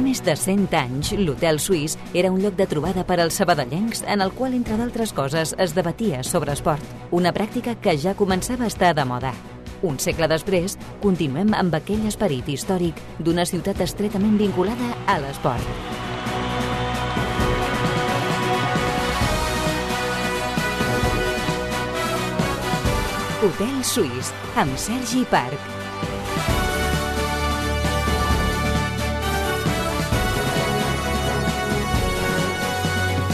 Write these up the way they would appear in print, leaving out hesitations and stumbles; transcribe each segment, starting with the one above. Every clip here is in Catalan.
Fa més de 100 anys, l'Hotel Suís era un lloc de trobada per als sabadellencs en el qual, entre d'altres coses, es debatia sobre esport, una pràctica que ja començava a estar de moda. Un segle després, continuem amb aquell esperit històric d'una ciutat estretament vinculada a l'esport. Hotel Suís, amb Sergi Parc.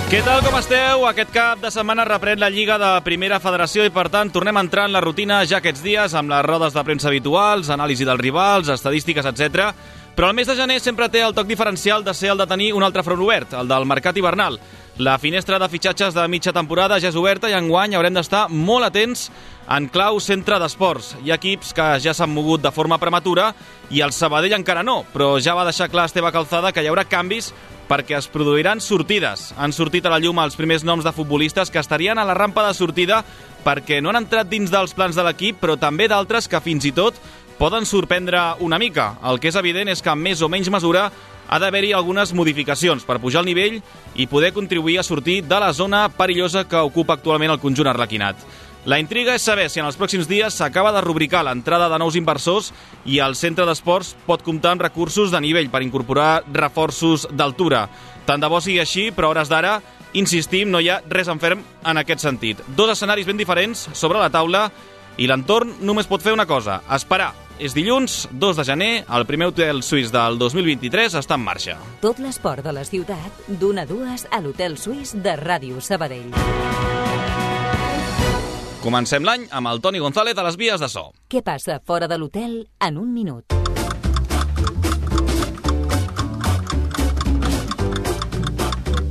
Què tal, com esteu? Aquest cap de setmana reprèn la Lliga de Primera Federació i, per tant, tornem a entrar en la rutina ja aquests dies amb les rodes de premsa habituals, anàlisi dels rivals, estadístiques, etc. Però el mes de gener sempre té el toc diferencial de ser el de tenir un altre front obert, el del mercat hivernal. La finestra de fitxatges de mitja temporada ja és oberta i enguany haurem d'estar molt atents en clau centre d'esports. Hi ha equips que ja s'han mogut de forma prematura i el Sabadell encara no, però ja va deixar clar Esteve Calzada que hi haurà canvis perquè es produiran sortides. Han sortit a la llum els primers noms de futbolistes que estarien a la rampa de sortida perquè no han entrat dins dels plans de l'equip, però també d'altres que fins i tot poden sorprendre una mica. El que és evident és que en més o menys mesura ha d'haver-hi algunes modificacions per pujar el nivell i poder contribuir a sortir de la zona perillosa que ocupa actualment el conjunt arlequinat. La intriga és saber si en els pròxims dies s'acaba de rubricar l'entrada de nous inversors i el centre d'esports pot comptar amb recursos de nivell per incorporar reforços d'altura. Tant de bo sigui així, però a hores d'ara, insistim, no hi ha res en ferm en aquest sentit. Dos escenaris ben diferents sobre la taula i l'entorn només pot fer una cosa, esperar. És dilluns, 2 de gener, el primer Hotel Suís del 2023 està en marxa. Tot l'esport de la ciutat, d'1 a 2 a l'Hotel Suís de Ràdio Sabadell. Comencem l'any amb el Toni González a les vies de so. Què passa fora de l'hotel en un minut?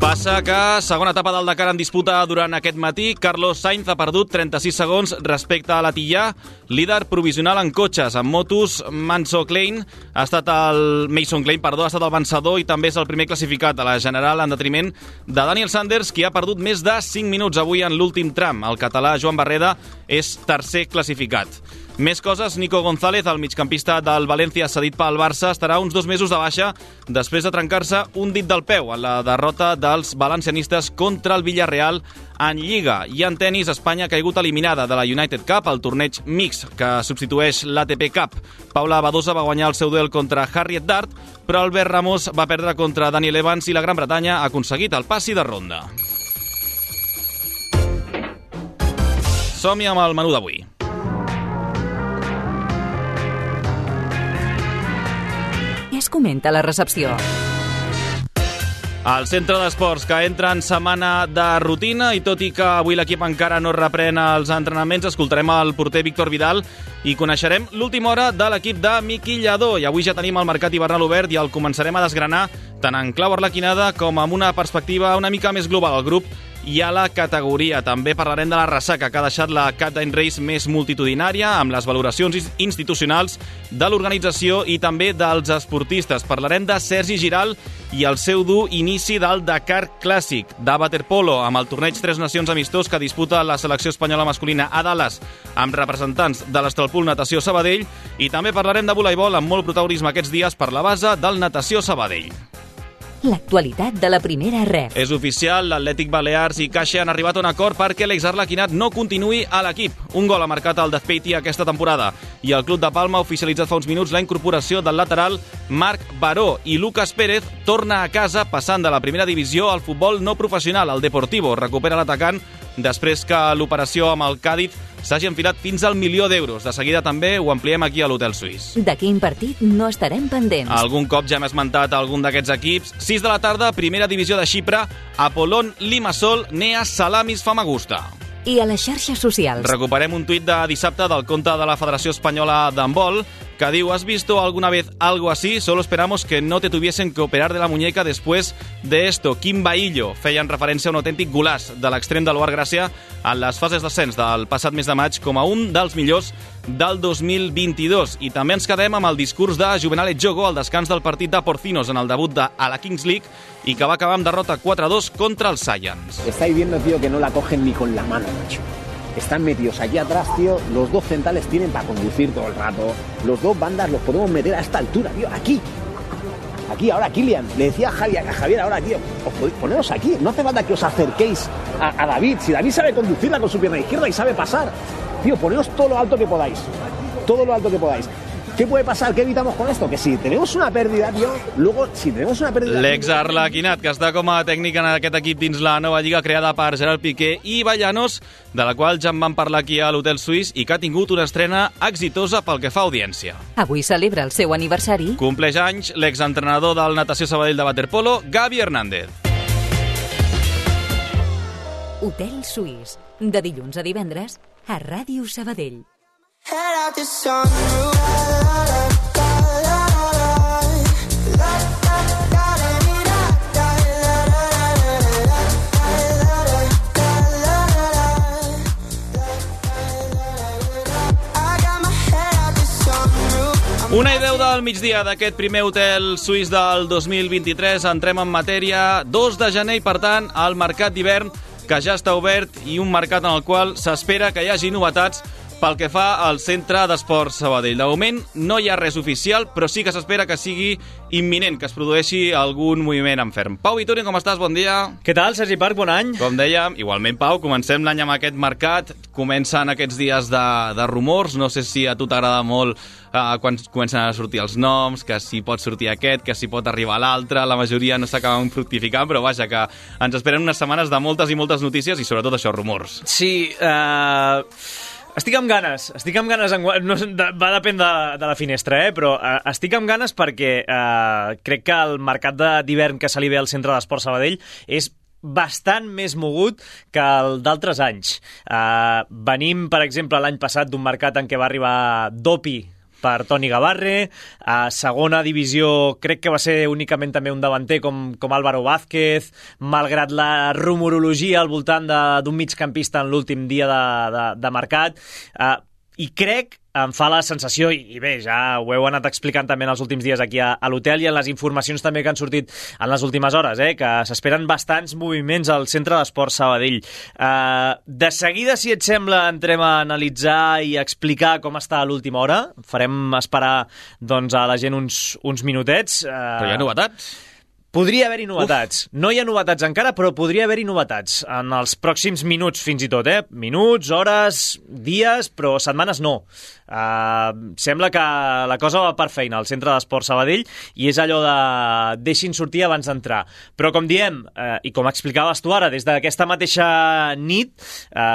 Passa que segona etapa del Dakar en disputa durant aquest matí. Carlos Sainz ha perdut 36 segons respecte a l'Atillà, líder provisional en cotxes. En motos, Mason Klein ha estat el vencedor i també és el primer classificat a la general en detriment de Daniel Sanders, qui ha perdut més de 5 minuts avui en l'últim tram. El català Joan Barreda és tercer classificat. Més coses, Nico González, el migcampista del València cedit pel Barça, estarà uns 2 mesos de baixa després de trencar-se un dit del peu en la derrota dels valencianistes contra el Villarreal en Lliga. I en tenis, Espanya ha caigut eliminada de la United Cup, el torneig mix que substitueix l'ATP Cup. Paula Badosa va guanyar el seu duel contra Harriet Dart, però Albert Ramos va perdre contra Daniel Evans i la Gran Bretanya ha aconseguit el passi de ronda. Som-hi amb el menú d'avui. Què es comenta a la recepció? El centre d'esports que entra en setmana de rutina i tot i que avui l'equip encara no reprèn els entrenaments, escoltarem el porter Víctor Vidal i coneixerem l'última hora de l'equip de Miqui Lladó. I avui ja tenim el mercat hivernal obert i el començarem a desgranar tant en clau arlequinada com amb una perspectiva una mica més global al grup i a la categoria. També parlarem de la ressaca que ha deixat la Captain Race més multitudinària, amb les valoracions institucionals de l'organització i també dels esportistes. Parlarem de Sergi Giral i el seu dur inici del Dakar Clàssic, de waterpolo, amb el torneig Tres Nacions amistós que disputa la selecció espanyola masculina a Dallas, amb representants de l'Estralpool Natació Sabadell, i també parlarem de voleibol amb molt protagonisme aquests dies per la base del Natació Sabadell. L'actualitat de la primera ref. És oficial, l'Atlètic Balears i Caixa han arribat a un acord perquè l'exarlequinat no continuï a l'equip. Un gol ha marcat el Dazpeiti aquesta temporada i el Club de Palma ha oficialitzat fa uns minuts la incorporació del lateral Marc Baró i Lucas Pérez torna a casa passant de la primera divisió al futbol no professional. El Deportivo recupera l'atacant després que l'operació amb el Càdiz s'hagi enfilat fins al milió d'euros. De seguida també ho ampliem aquí a l'Hotel Suís. De quin partit no estarem pendents? Algun cop ja hem esmentat algun d'aquests equips. 6 de la tarda, primera divisió de Xipre, Apollon Limassol, Nea Salamis Famagusta. I a les xarxes socials. Recuperem un tuit de dissabte del compte de la Federació Espanyola d'Handbol que diu: ¿has visto alguna vez algo así? Solo esperamos que no te tuviesen que operar de la muñeca después de esto. Quim Bahillo feien referència a un autèntic golaç de l'extrem de l'Oar Gràcia en les fases d'ascens del passat mes de maig com a un dels millors del 2022. I també ens quedem amb el discurs de Juvenal Etxogo al descans del partit de Porcinos en el debut a la Kings League i que va acabar amb derrota 4-2 contra els Science. Estáis viendo, tío, que no la cogen ni con la mano, macho. Están metidos allí atrás, tío. Los dos centrales tienen para conducir todo el rato. Los dos bandas los podemos meter a esta altura, tío. Aquí. aquí ahora, Kylian. Le decía a Javier ahora, tío, poneros aquí. No hace falta que os acerquéis a David. Si David sabe conducirla con su pierna izquierda y sabe pasar, tío, poneos todo lo alto que podáis. Todo lo alto que podáis. ¿Qué puede pasar? ¿Qué evitamos con esto? Que si tenemos una pérdida, tío, luego, si tenemos una pérdida... L'ex-Arlequinat, que està com a tècnic en aquest equip dins la nova lliga creada per Gerard Piqué i Vallanos, de la qual ja en vam parlar aquí a l'Hotel Suís i que ha tingut una estrena exitosa pel que fa a audiència. Avui celebra el seu aniversari. Compleix anys l'exentrenador del Natació Sabadell de waterpolo, Gavi Hernández. Hotel Suís, de dilluns a divendres, a Ràdio Sabadell. Una i 10 del migdia d'aquest primer hotel suís del 2023. Entrem en matèria. 2 de gener i, per tant, el mercat d'hivern que ja està obert i un mercat en el qual s'espera que hi hagi novetats pel que fa al Centre d'Esports Sabadell. De moment no hi ha res oficial, però sí que s'espera que sigui imminent, que es produeixi algun moviment en ferm. Pau Vittori, com estàs? Bon dia. Què tal, Sergi Parc? Bon any. Com dèiem, igualment, Pau, comencem l'any amb aquest mercat. Comencen aquests dies de rumors. No sé si a tu t'agrada molt quan comencen a sortir els noms, que si pot sortir aquest, que si pot arribar l'altre. La majoria no s'acaben fructificant, però vaja, que ens esperen unes setmanes de moltes i moltes notícies i sobretot això, rumors. Sí, estic amb ganes, no, va dependre de la finestra, però estic amb ganes perquè crec que el mercat d'hivern que se li ve al Centre d'Esports Sabadell és bastant més mogut que el d'altres anys. Venim, per exemple, l'any passat d'un mercat en què va arribar Dopi per Toni Gavarre, a segona divisió crec que va ser únicament també un davanter com Álvaro Vázquez, malgrat la rumorologia al voltant d'un migcampista en l'últim dia de mercat, i crec, em fa la sensació, i bé, ja ho heu anat explicant també en els últims dies aquí a l'hotel i en les informacions també que han sortit en les últimes hores, que s'esperen bastants moviments al Centre d'Esports Sabadell. De seguida, si et sembla, entrem a analitzar i a explicar com està a l'última hora. Farem esperar doncs, a la gent uns minutets. Però hi ha novetats? Podria haver-hi novetats. No hi ha novetats encara, però podria haver-hi novetats en els pròxims minuts, fins i tot. Minuts, hores, dies, però setmanes no. Sembla que la cosa va per feina al Centre d'Esports Sabadell i és allò de deixin sortir abans d'entrar. Però com diem, i com explicaves tu ara, des d'aquesta mateixa nit,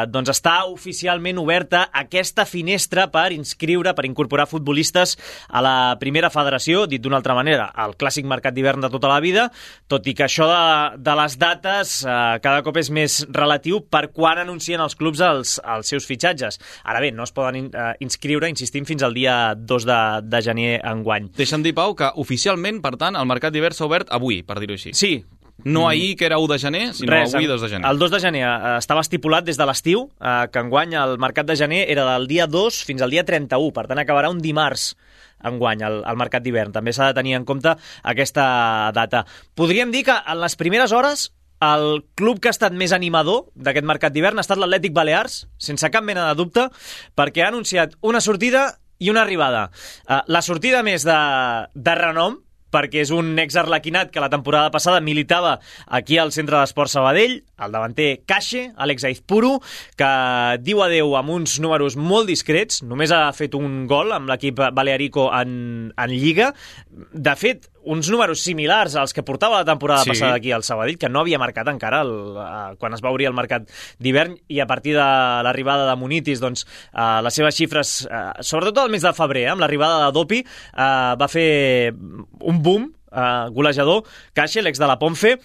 doncs està oficialment oberta aquesta finestra per inscriure, per incorporar futbolistes a la primera federació, dit d'una altra manera, el clàssic mercat d'hivern de tota la vida, tot i que això de les dates cada cop és més relatiu per quan anuncien els clubs els seus fitxatges. Ara bé, no es poden inscriure, insistim, fins al dia 2 de gener enguany. Deixa'm dir, Pau, que oficialment, per tant, el mercat d'hivern s'ha obert avui, per dir-ho així. Sí. No ahir, que era 1 de gener, sinó avui, 2 de gener. El 2 de gener estava estipulat des de l'estiu, que enguany el mercat de gener era del dia 2 fins al dia 31, per tant acabarà un dimarts enguany el mercat d'hivern. També s'ha de tenir en compte aquesta data. Podríem dir que en les primeres hores el club que ha estat més animador d'aquest mercat d'hivern ha estat l'Atlètic Balears, sense cap mena de dubte, perquè ha anunciat una sortida i una arribada. La sortida més de renom, perquè és un ex-arlequinat que la temporada passada militava aquí al Centre d'Esports Sabadell, el davanter Cache, Àlex Aizpuru, que diu adeu amb uns números molt discrets, només ha fet un gol amb l'equip balearico en Lliga. De fet, uns números similars als que portava la temporada passada aquí al Sabadell, que no havia marcat encara quan es va obrir el mercat d'hivern, i a partir de l'arribada de Munitis, doncs, les seves xifres, sobretot al mes de febrer, amb l'arribada de Dopi, va fer un boom golejador. Cache, l'ex de la Ponfe.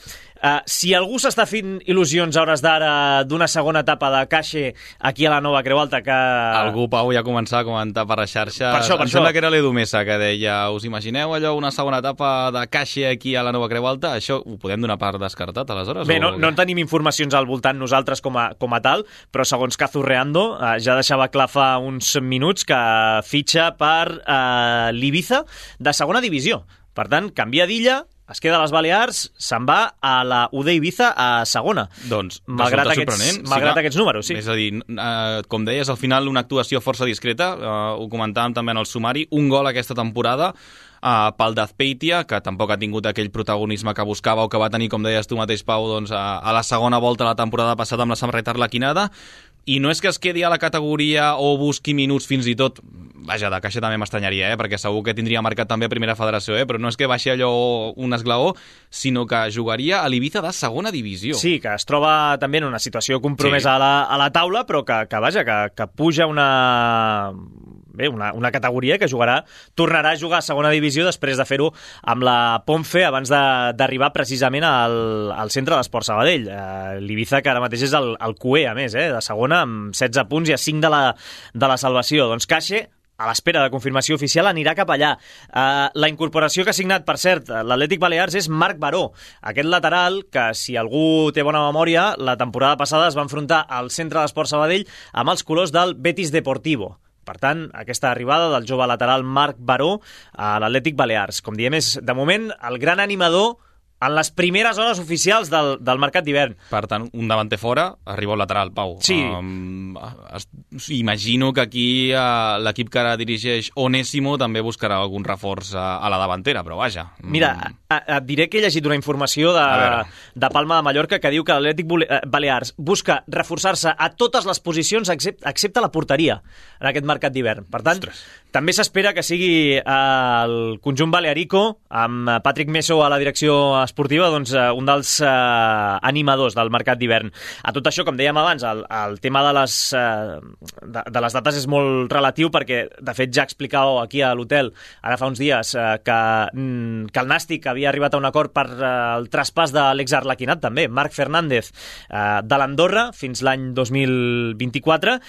Si algú s'està fent il·lusions a hores d'ara d'una segona etapa de Cache aquí a la Nova Creu Alta, que... Algú, Pau, ja començava a comentar per les xarxes. Per això. Em sembla que era l'Edu Mesa que deia, us imagineu allò, una segona etapa de Cache aquí a la Nova Creu Alta? Això ho podem donar per descartat, aleshores? Bé, no en tenim informacions al voltant nosaltres com a tal, però segons Cazurreando ja deixava clar fa uns minuts que fitxa per l'Ibiza de segona divisió. Per tant, canvia d'illa es queda a les Balears, se'n va a la UD Ibiza a segona. Doncs malgrat aquests números, sí. És a dir, com deies, al final una actuació força discreta, ho comentàvem també en el sumari, un gol aquesta temporada pel d'Azpeitia, que tampoc ha tingut aquell protagonisme que buscava o que va tenir, com deies tu mateix, Pau, doncs, a la segona volta la temporada passada amb la samarreta arlequinada. I no és que es quedi a la categoria o busqui minuts fins i tot, vaja, de caixa també m'estranyaria, perquè segur que tindria marcat també a primera federació, però no és que baixi allò un esglaó, sinó que jugaria a l'Ibiza de segona divisió. Sí, que es troba també en una situació compromesa a la taula, però que puja una categoria que tornarà a jugar a segona divisió després de fer-ho amb la Ponfe abans d'arribar precisament al centre d'Esport Sabadell. L'Ibiza, que ara mateix és el QE, a més, de segona, amb 16 punts i a 5 de la salvació. Doncs Caixa, a l'espera de confirmació oficial, anirà cap allà. La incorporació que ha signat, per cert, l'Atlètic Balears és Marc Baró, aquest lateral que, si algú té bona memòria, la temporada passada es va enfrontar al centre d'Esport Sabadell amb els colors del Betis Deportivo. Per tant, aquesta arribada del jove lateral Marc Baró a l'Atlètic Balears. Com diem, és, de moment, el gran animador en les primeres hores oficials del mercat d'hivern. Per tant, un davanter fora, arriba el lateral, Pau. Sí. Imagino que aquí l'equip que ara dirigeix Onésimo també buscarà algun reforç a la davantera, però vaja. Mira, et diré que he llegit una informació de Palma de Mallorca que diu que l'Atlètic Balears busca reforçar-se a totes les posicions excepte la porteria en aquest mercat d'hivern. Per tant, també s'espera que sigui el conjunt balearico, amb Patrick Meso a la direcció esportiva, doncs, un dels animadors del mercat d'hivern. A tot això, com dèiem abans, el tema de les dates és molt relatiu, perquè, de fet, ja explicàveu aquí a l'hotel, ara fa uns dies, que el Nàstic havia arribat a un acord per el traspàs de l'exarlequinat, també, Marc Fernández, de l'Andorra fins l'any 2024,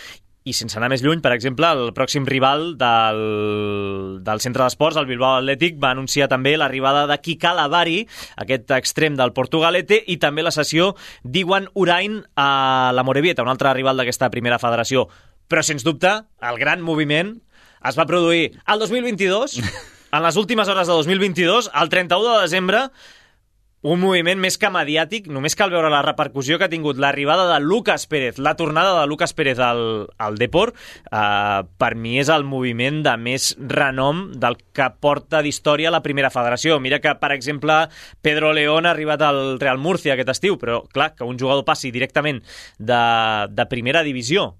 i sense anar més lluny, per exemple, el pròxim rival del centre d'esports, el Bilbao Atlètic, va anunciar també l'arribada de Kika Lavari, aquest extrem del Portugalete, i també la cessió d'Iwan Urain a la Morevieta, un altre rival d'aquesta primera federació. Però, sens dubte, el gran moviment es va produir al 2022, en les últimes hores de 2022, el 31 de desembre, un moviment més que mediàtic. Només cal veure la repercussió que ha tingut l'arribada de Lucas Pérez, la tornada de Lucas Pérez al Depor. Per mi és el moviment de més renom del que porta d'història la primera federació. Mira que, per exemple, Pedro León ha arribat al Real Murcia aquest estiu, però clar, que un jugador passi directament de primera divisió,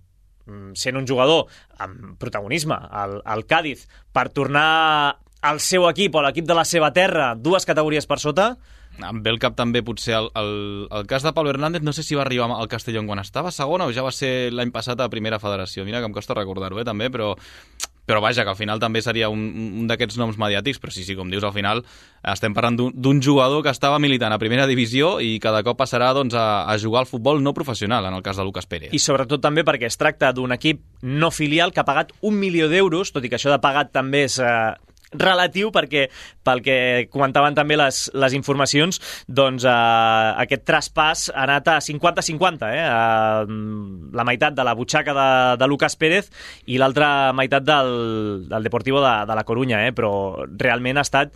sent un jugador amb protagonisme al Cádiz, per tornar al seu equip o a l'equip de la seva terra, 2 categories per sota. Em ve el cap també potser el cas de Pablo Hernández, no sé si va arribar al Castellón quan estava segona o ja va ser l'any passat a primera federació. Mira que em costa recordar-ho, també, però vaja, que al final també seria un d'aquests noms mediàtics, però sí, com dius, al final estem parlant d'un jugador que estava militant a primera divisió i que de cop passarà doncs, a jugar al futbol no professional, en el cas de Lucas Pérez. I sobretot també perquè es tracta d'un equip no filial que ha pagat 1 milió d'euros, tot i que això de pagat també és relatiu, perquè pel que comentaven també les informacions, doncs aquest traspàs ha anat a 50-50, la meitat de la butxaca de Lucas Pérez i l'altra meitat del Deportivo de la Corunya, però realment ha estat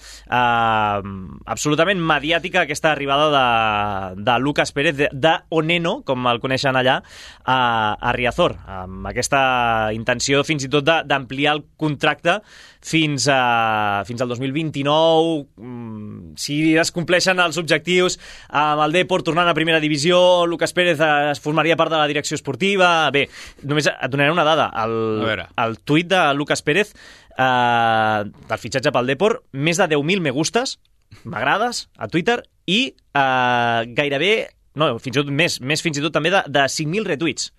absolutament mediàtica aquesta arribada de Lucas Pérez, de Oneno, com el coneixen allà, a Riazor, amb aquesta intenció fins i tot d'ampliar el contracte fins al 2029, si es compleixen els objectius amb el Depor tornant a primera divisió, Lucas Pérez es formaria part de la direcció esportiva. Bé, només et donaré una dada. El tuit de Lucas Pérez del fitxatge pel Depor, més de 10.000 me gustes, m'agrades, a Twitter, i gairebé, no, fins i tot més fins i tot també de 5.000 retuits.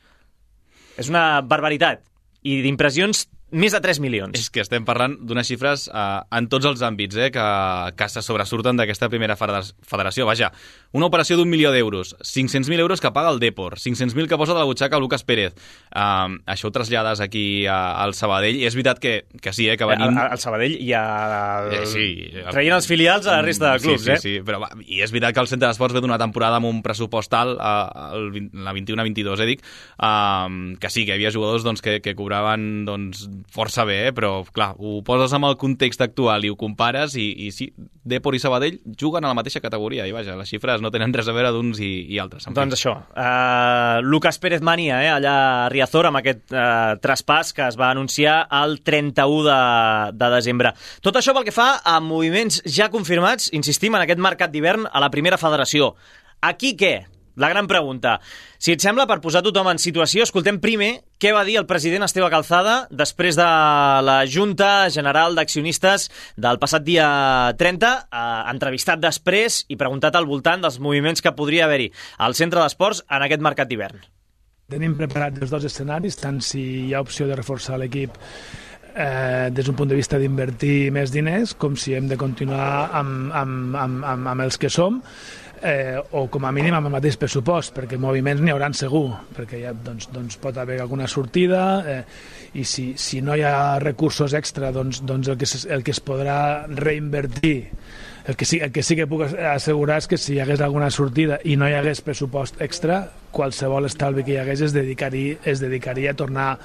És una barbaritat. I d'impressions, més de 3 milions. És que estem parlant d'unes xifres en tots els àmbits que se sobresurten d'aquesta primera federació. Vaja, una operació d'1 milió d'euros, 500.000 euros que paga el Depor, 500.000 que posa de la butxaca Lucas Pérez. Això ho trasllades aquí al Sabadell, i és veritat que sí, que venim... Al Sabadell i traient els filials a la resta de clubs, Sí, però i és veritat que el Centre d'Esports ve d'una temporada amb un pressupost alt, la 21-22, dic, que sí, que hi havia jugadors doncs, que cobraven doncs, força bé, però clar, ho poses amb el context actual i ho compares i sí, Depor i Sabadell juguen a la mateixa categoria i vaja, les xifres no tenen res a veure d'uns i altres. Doncs això, Lucas Pérez Mania, allà a Riazor, amb aquest traspàs que es va anunciar el 31 de desembre. Tot això pel que fa a moviments ja confirmats, insistim, en aquest mercat d'hivern a la primera federació. Aquí què? La gran pregunta. Si et sembla, per posar tothom en situació, escoltem primer què va dir el president Esteve Calzada després de la Junta General d'Accionistes del passat dia 30, entrevistat després i preguntat al voltant dels moviments que podria haver-hi al centre d'esports en aquest mercat d'hivern. Tenim preparats els dos escenaris, tant si hi ha opció de reforçar l'equip des d'un punt de vista d'invertir més diners, com si hem de continuar amb els que som, o com a mínim amb el mateix pressupost, perquè moviments n'hi hauran segur, perquè ja doncs pot haver alguna sortida, i si no hi ha recursos extra, doncs el que es podrà reinvertir, el que sí que puc assegurar és que si hi hagués alguna sortida i no hi hagués pressupost extra, qualsevol estalvi que hi hagués es dedicaria a tornar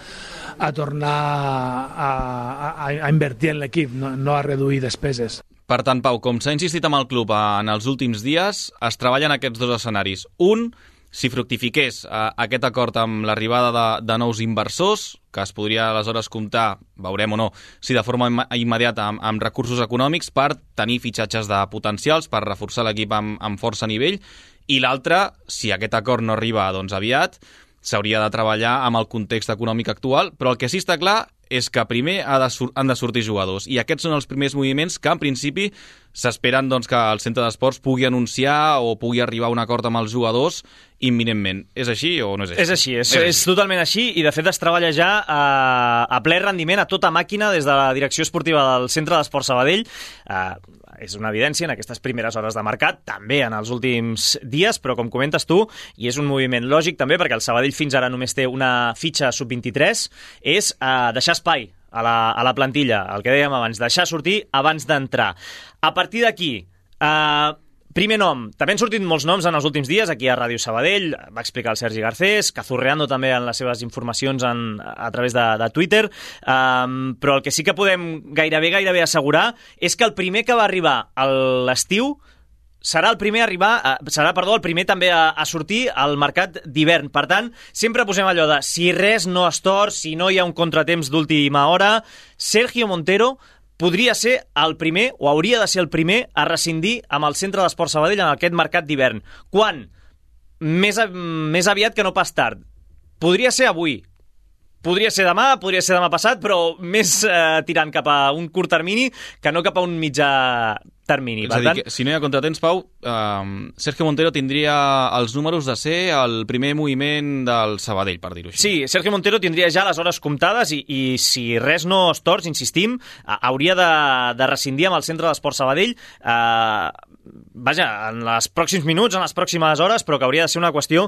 a invertir en l'equip, no a reduir despeses. Per tant, Pau, com s'ha insistit amb el club en els últims dies, es treballen aquests dos escenaris. Un, si fructifiqués aquest acord amb l'arribada de nous inversors, que es podria aleshores comptar, veurem o no, si de forma immediata amb recursos econòmics per tenir fitxatges de potencials, per reforçar l'equip amb força nivell, i l'altre, si aquest acord no arriba aviat, s'hauria de treballar amb el context econòmic actual, però el que sí està clar és que primer han de sortir jugadors, i aquests són els primers moviments que en principi s'esperen que el centre d'esports pugui anunciar o pugui arribar a un acord amb els jugadors imminentment. És així o no és així? És així, és totalment així, i de fet es treballa ja a ple rendiment, a tota màquina, des de la direcció esportiva del Centre d'Esports Sabadell. És una evidència en aquestes primeres hores de mercat, també en els últims dies, però com comentes tu, i és un moviment lògic també, perquè el Sabadell fins ara només té una fitxa sub-23, és deixar espai a la plantilla, el que dèiem abans, deixar sortir abans d'entrar. A partir d'aquí, primer nom, també han sortit molts noms en els últims dies, aquí a Ràdio Sabadell, va explicar el Sergi Garcés, Cazurreando també en les seves informacions a través de Twitter, però el que sí que podem gairebé assegurar és que el primer que va arribar a l'estiu serà el primer el primer també a sortir al mercat d'hivern. Per tant, sempre posem allò de si res no es tort, si no hi ha un contratemps d'última hora, Sergio Montero podria ser el primer, o hauria de ser el primer, a rescindir amb el Centre d'Esports Sabadell en aquest mercat d'hivern. Quan? Més aviat que no pas tard. Podria ser avui, podria ser demà passat, però més tirant cap a un curt termini que no cap a un mitjà termini. És a dir, si no hi ha contratemps, Pau, Sergio Montero tindria els números de ser el primer moviment del Sabadell, per dir-ho així. Sí, Sergio Montero tindria ja les hores comptades i si res no es torç, insistim, hauria de rescindir amb el Centre d'Esports Sabadell en els pròxims minuts, en les pròximes hores, però que hauria de ser una qüestió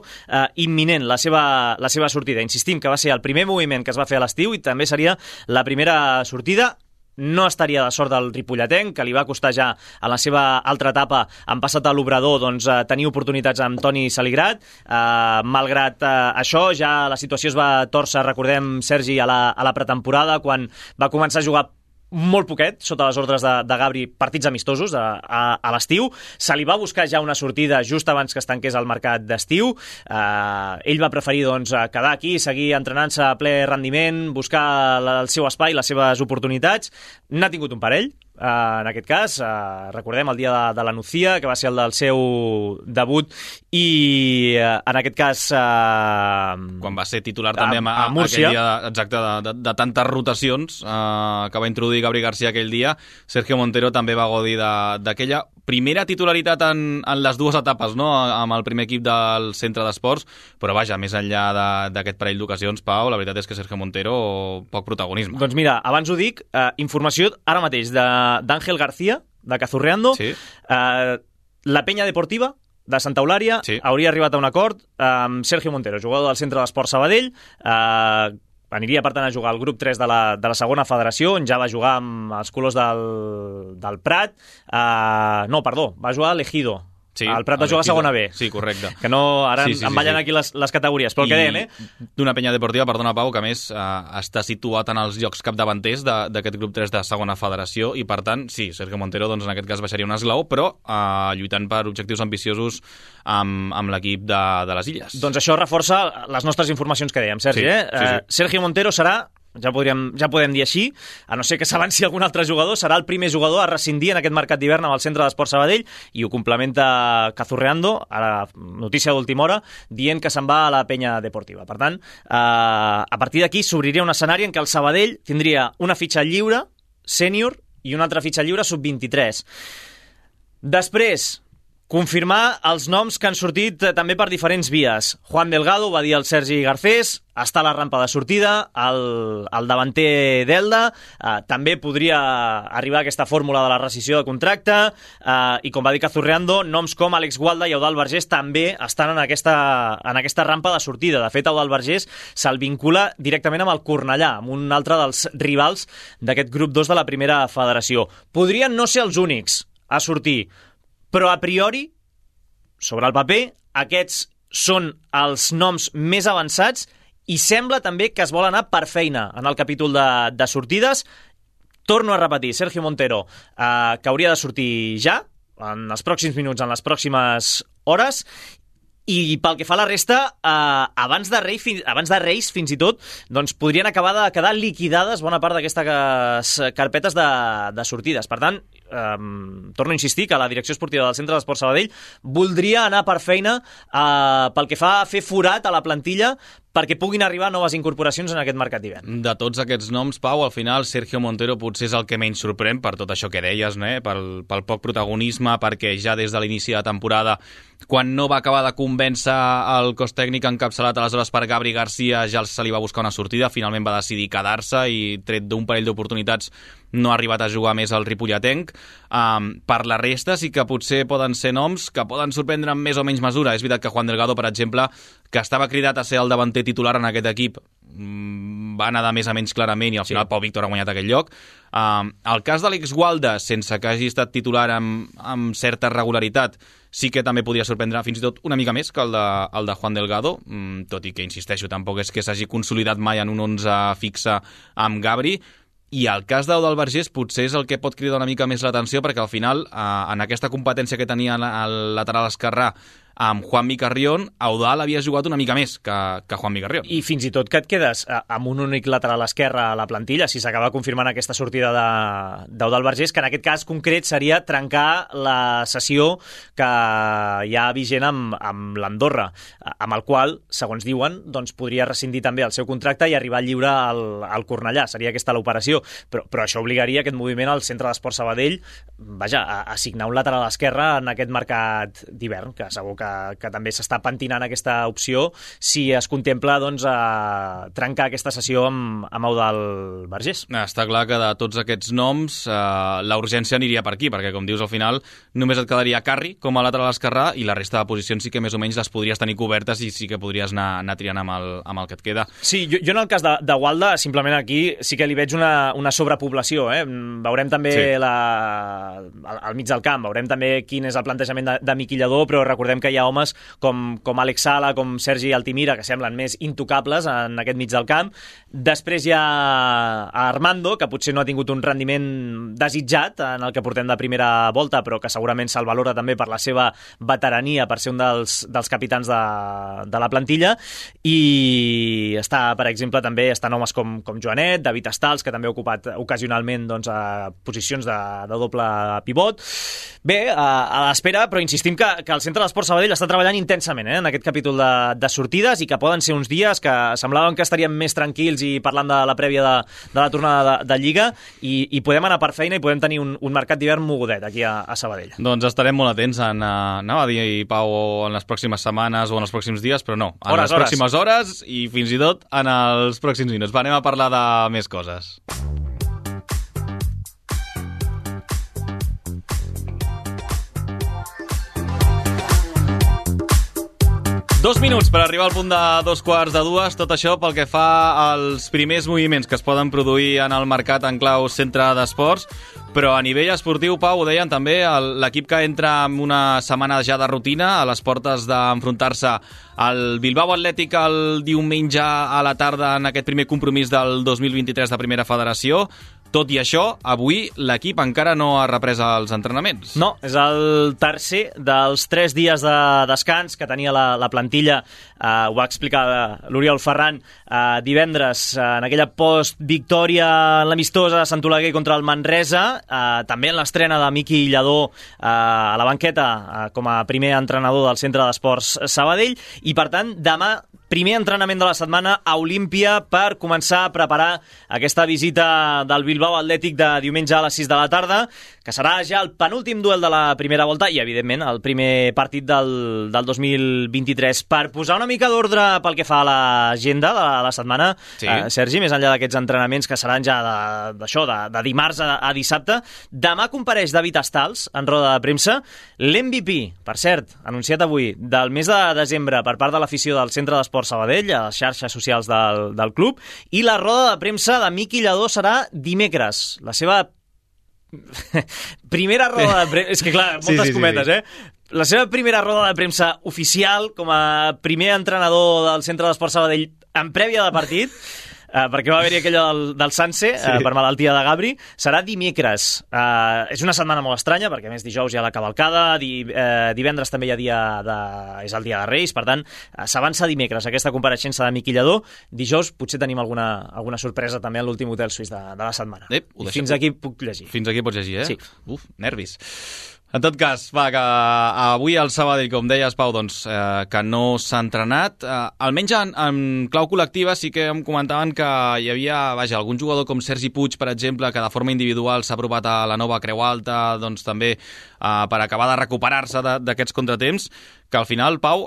imminent, la seva sortida. Insistim que va ser el primer moviment que es va fer a l'estiu i també seria la primera sortida. No estaria de sort del ripolletenc, que li va costar ja a la seva altra etapa, en passat a l'Obrador, tenir oportunitats amb Toni Saligrat. Malgrat això, ja la situació es va tòrcer, recordem, Sergi, a la pretemporada, quan va començar a jugar molt poquet, sota les ordres de Gabri, partits amistosos a l'estiu. Se li va buscar ja una sortida just abans que es tanqués el mercat d'estiu. Ell va preferir quedar aquí, seguir entrenant-se a ple rendiment, buscar el seu espai, les seves oportunitats. N'ha tingut un parell, en aquest cas, recordem el dia de la Nucía, que va ser el del seu debut, i en aquest cas quan va ser titular també a Múrcia, aquell dia exacte de tantes rotacions que va introduir Gabri García aquell dia. Sergio Montero també va gaudir d'aquella primera titularitat en les dues etapes, no? Amb el primer equip del Centre d'Esports, però vaja, més enllà d'aquest parell d'ocasions, Pau, la veritat és que Sergio Montero poc protagonisme. Doncs mira, abans ho dic, informació ara mateix d'Àngel García, de Cazurreando, sí. La Penya Deportiva de Santa Eulària, sí, hauria arribat a un acord amb Sergio Montero, jugador del Centre d'Esports Sabadell, aniria per tant a jugar al grup 3 de la segona federació, on ja va jugar amb els colors del Prat, va jugar a l'Ejido, Sí, el Prat va jugar a segona B. Sí, correcte. Que no, ara em ballen aquí les categories, però el que dèiem, D'una penya deportiva, perdona Pau, que a més està situat en els llocs capdavanters d'aquest grup 3 de segona federació i per tant, sí, Sergio Montero doncs, en aquest cas baixaria un esglaó, però lluitant per objectius ambiciosos amb l'equip de les Illes. Doncs això reforça les nostres informacions que dèiem, Sergi. Sí. Sergio Montero serà, ja podem dir així, a no ser que s'avanci algun altre jugador, serà el primer jugador a rescindir en aquest mercat d'hivern amb el Centre d'Esport Sabadell, i ho complementa Cazurreando, a la notícia d'última hora, dient que se'n va a la penya deportiva. Per tant, a partir d'aquí s'obriria un escenari en què el Sabadell tindria una fitxa lliure, sènior, i una altra fitxa lliure sub-23. Després, confirmar els noms que han sortit també per diferents vies. Juan Delgado, va dir el Sergi Garcés, està a la rampa de sortida, el davanter d'Elda, també podria arribar a aquesta fórmula de la rescissió de contracte, i com va dir Cazurreando, noms com Àlex Gualda i Eudald Vergés també estan en aquesta rampa de sortida. De fet, Eudald Vergés se'l vincula directament amb el Cornellà, amb un altre dels rivals d'aquest grup 2 de la primera federació. Podrien no ser els únics a sortir, però a priori, sobre el paper, aquests són els noms més avançats i sembla també que es vol anar per feina en el capítol de sortides. Torno a repetir, Sergio Montero, que hauria de sortir ja, en els pròxims minuts, en les pròximes hores, i pel que fa a la resta, abans de Reis, fins i tot, doncs podrien acabar de quedar liquidades bona part d'aquestes carpetes de sortides. Per tant, torno a insistir que la direcció esportiva del Centre d'Esport Sabadell voldria anar per feina pel que fa a fer forat a la plantilla perquè puguin arribar noves incorporacions en aquest mercat d'hivern. De tots aquests noms, Pau, al final Sergio Montero potser és el que menys sorprèn per tot això que deies, no? Pel poc protagonisme, perquè ja des de l'inici de temporada, quan no va acabar de convèncer el cos tècnic encapçalat aleshores per Gabri Garcia, ja se li va buscar una sortida, finalment va decidir quedar-se i tret d'un parell d'oportunitats no ha arribat a jugar més al ripolletenc. Per la resta sí que potser poden ser noms que poden sorprendre en més o menys mesura. És veritat que Juan Delgado, per exemple, que estava cridat a ser el davanter titular en aquest equip, va anar de més a menys clarament i al final Pau Víctor ha guanyat aquell lloc. El cas d'Àlex Gualda, sense que hagi estat titular amb certa regularitat, sí que també podia sorprendre fins i tot una mica més que el de Juan Delgado, tot i que, insisteixo, tampoc és que s'hagi consolidat mai en un 11 fixe amb Gabri. I el cas d'Eudald Vergés potser és el que pot cridar una mica més l'atenció, perquè al final, en aquesta competència que tenia al lateral esquerrà amb Juanmi Carrión, Eudald havia jugat una mica més que Juanmi Carrión. I fins i tot que et quedes amb un únic lateral esquerre a la plantilla, si s'acaba confirmant aquesta sortida d'Eudald Vergés, que en aquest cas concret seria trencar la sessió que hi ha vigent amb l'Andorra, amb el qual, segons diuen, doncs podria rescindir també el seu contracte i arribar lliure al Cornellà. Seria aquesta l'operació. Però això obligaria aquest moviment al Centre d'Esport Sabadell, a assignar un lateral esquerre en aquest mercat d'hivern, que segur que també s'està pentinant aquesta opció si es contempla doncs, trencar aquesta sessió amb Eudald Vergés. Està clar que de tots aquests noms la urgència aniria per aquí, perquè com dius al final només et quedaria Carri com a lateral esquerrà i la resta de posicions sí que més o menys les podries tenir cobertes i sí que podries anar triant amb el que et queda. Sí, jo en el cas de Gualda simplement aquí sí que li veig una sobrepoblació. Veurem també al mig del camp, veurem també quin és el plantejament de Miqui Lladó, però recordem que hi ha homes com Àlex Sala, com Sergi Altimira, que semblen més intocables en aquest mig del camp. Després hi ha Armando, que potser no ha tingut un rendiment desitjat en el que portem de primera volta, però que segurament se'l valora també per la seva veterania, per ser un dels capitans de la plantilla. I està, per exemple, també estan homes com Joanet, David Estals, que també ha ocupat ocasionalment doncs, posicions de doble pivot. Bé, a l'espera, però insistim que el Centre d'Esport Sabadell està treballant intensament en aquest capítol de sortides i que poden ser uns dies que semblaven que estaríem més tranquils i parlant de la prèvia de la tornada de Lliga i podem anar per feina i podem tenir un mercat d'hivern mogudet aquí a Sabadell. Doncs estarem molt atents anava a dir, Pau, en les pròximes setmanes o en els pròxims dies, però no, en les pròximes hores i fins i tot en els pròxims minuts. Anem a parlar de més coses. 2 minuts per arribar al punt de 2:45, tot això pel que fa als primers moviments que es poden produir en el mercat en clau centre d'esports, però a nivell esportiu, Pau, ho deien també, l'equip que entra en una setmana ja de rutina a les portes d'enfrontar-se al Bilbao Atlètic el diumenge a la tarda en aquest primer compromís del 2023 de Primera Federació. Tot i això, avui l'equip encara no ha reprès els entrenaments. No, és el tercer dels 3 dies de descans que tenia la plantilla. Ho va explicar l'Oriol Ferran divendres en aquella post-victòria en l'amistosa de Sant Oleguer contra el Manresa, també en l'estrena de Miqui Lladó a la banqueta com a primer entrenador del Centre d'Esports Sabadell, i per tant demà primer entrenament de la setmana a Olímpia per començar a preparar aquesta visita del Bilbao Atlètic de diumenge a les 6 de la tarda, que serà ja el penúltim duel de la primera volta i, evidentment, el primer partit del 2023. Per posar una mica d'ordre pel que fa a l'agenda de la setmana, sí. Sergi, més enllà d'aquests entrenaments que seran ja de dimarts a dissabte, demà compareix David Astals en roda de premsa, l'MVP, per cert, anunciat avui, del mes de desembre per part de l'afició del Centre d'Esports Sabadell, a les xarxes socials del club, i la roda de premsa de Miqui Lladó serà dimecres. La seva primera roda de premsa... És que, clar, moltes cometes, La seva primera roda de premsa oficial com a primer entrenador del Centre d'Esports Sabadell en prèvia de partit, perquè va haver-hi aquella del Sanse, per malaltia de Gabri, serà dimecres. És una setmana molt estranya, perquè a més dijous hi ha la cavalcada, divendres també hi ha és el dia de Reis, per tant, s'avança dimecres aquesta compareixença de Miqui Lladó. Dijous potser tenim alguna sorpresa també en l'últim hotel suís de la setmana. Fins aquí puc llegir. Fins aquí pots llegir, Sí. Uf, nervis. En tot cas, que avui al Sabadell, com deies, Pau, doncs, que no s'ha entrenat. Almenys en clau col·lectiva sí que em comentaven que hi havia algun jugador com Sergi Puig, per exemple, que de forma individual s'ha provat a la nova Creu Alta, doncs també per acabar de recuperar-se d'aquests contratemps, que al final, Pau,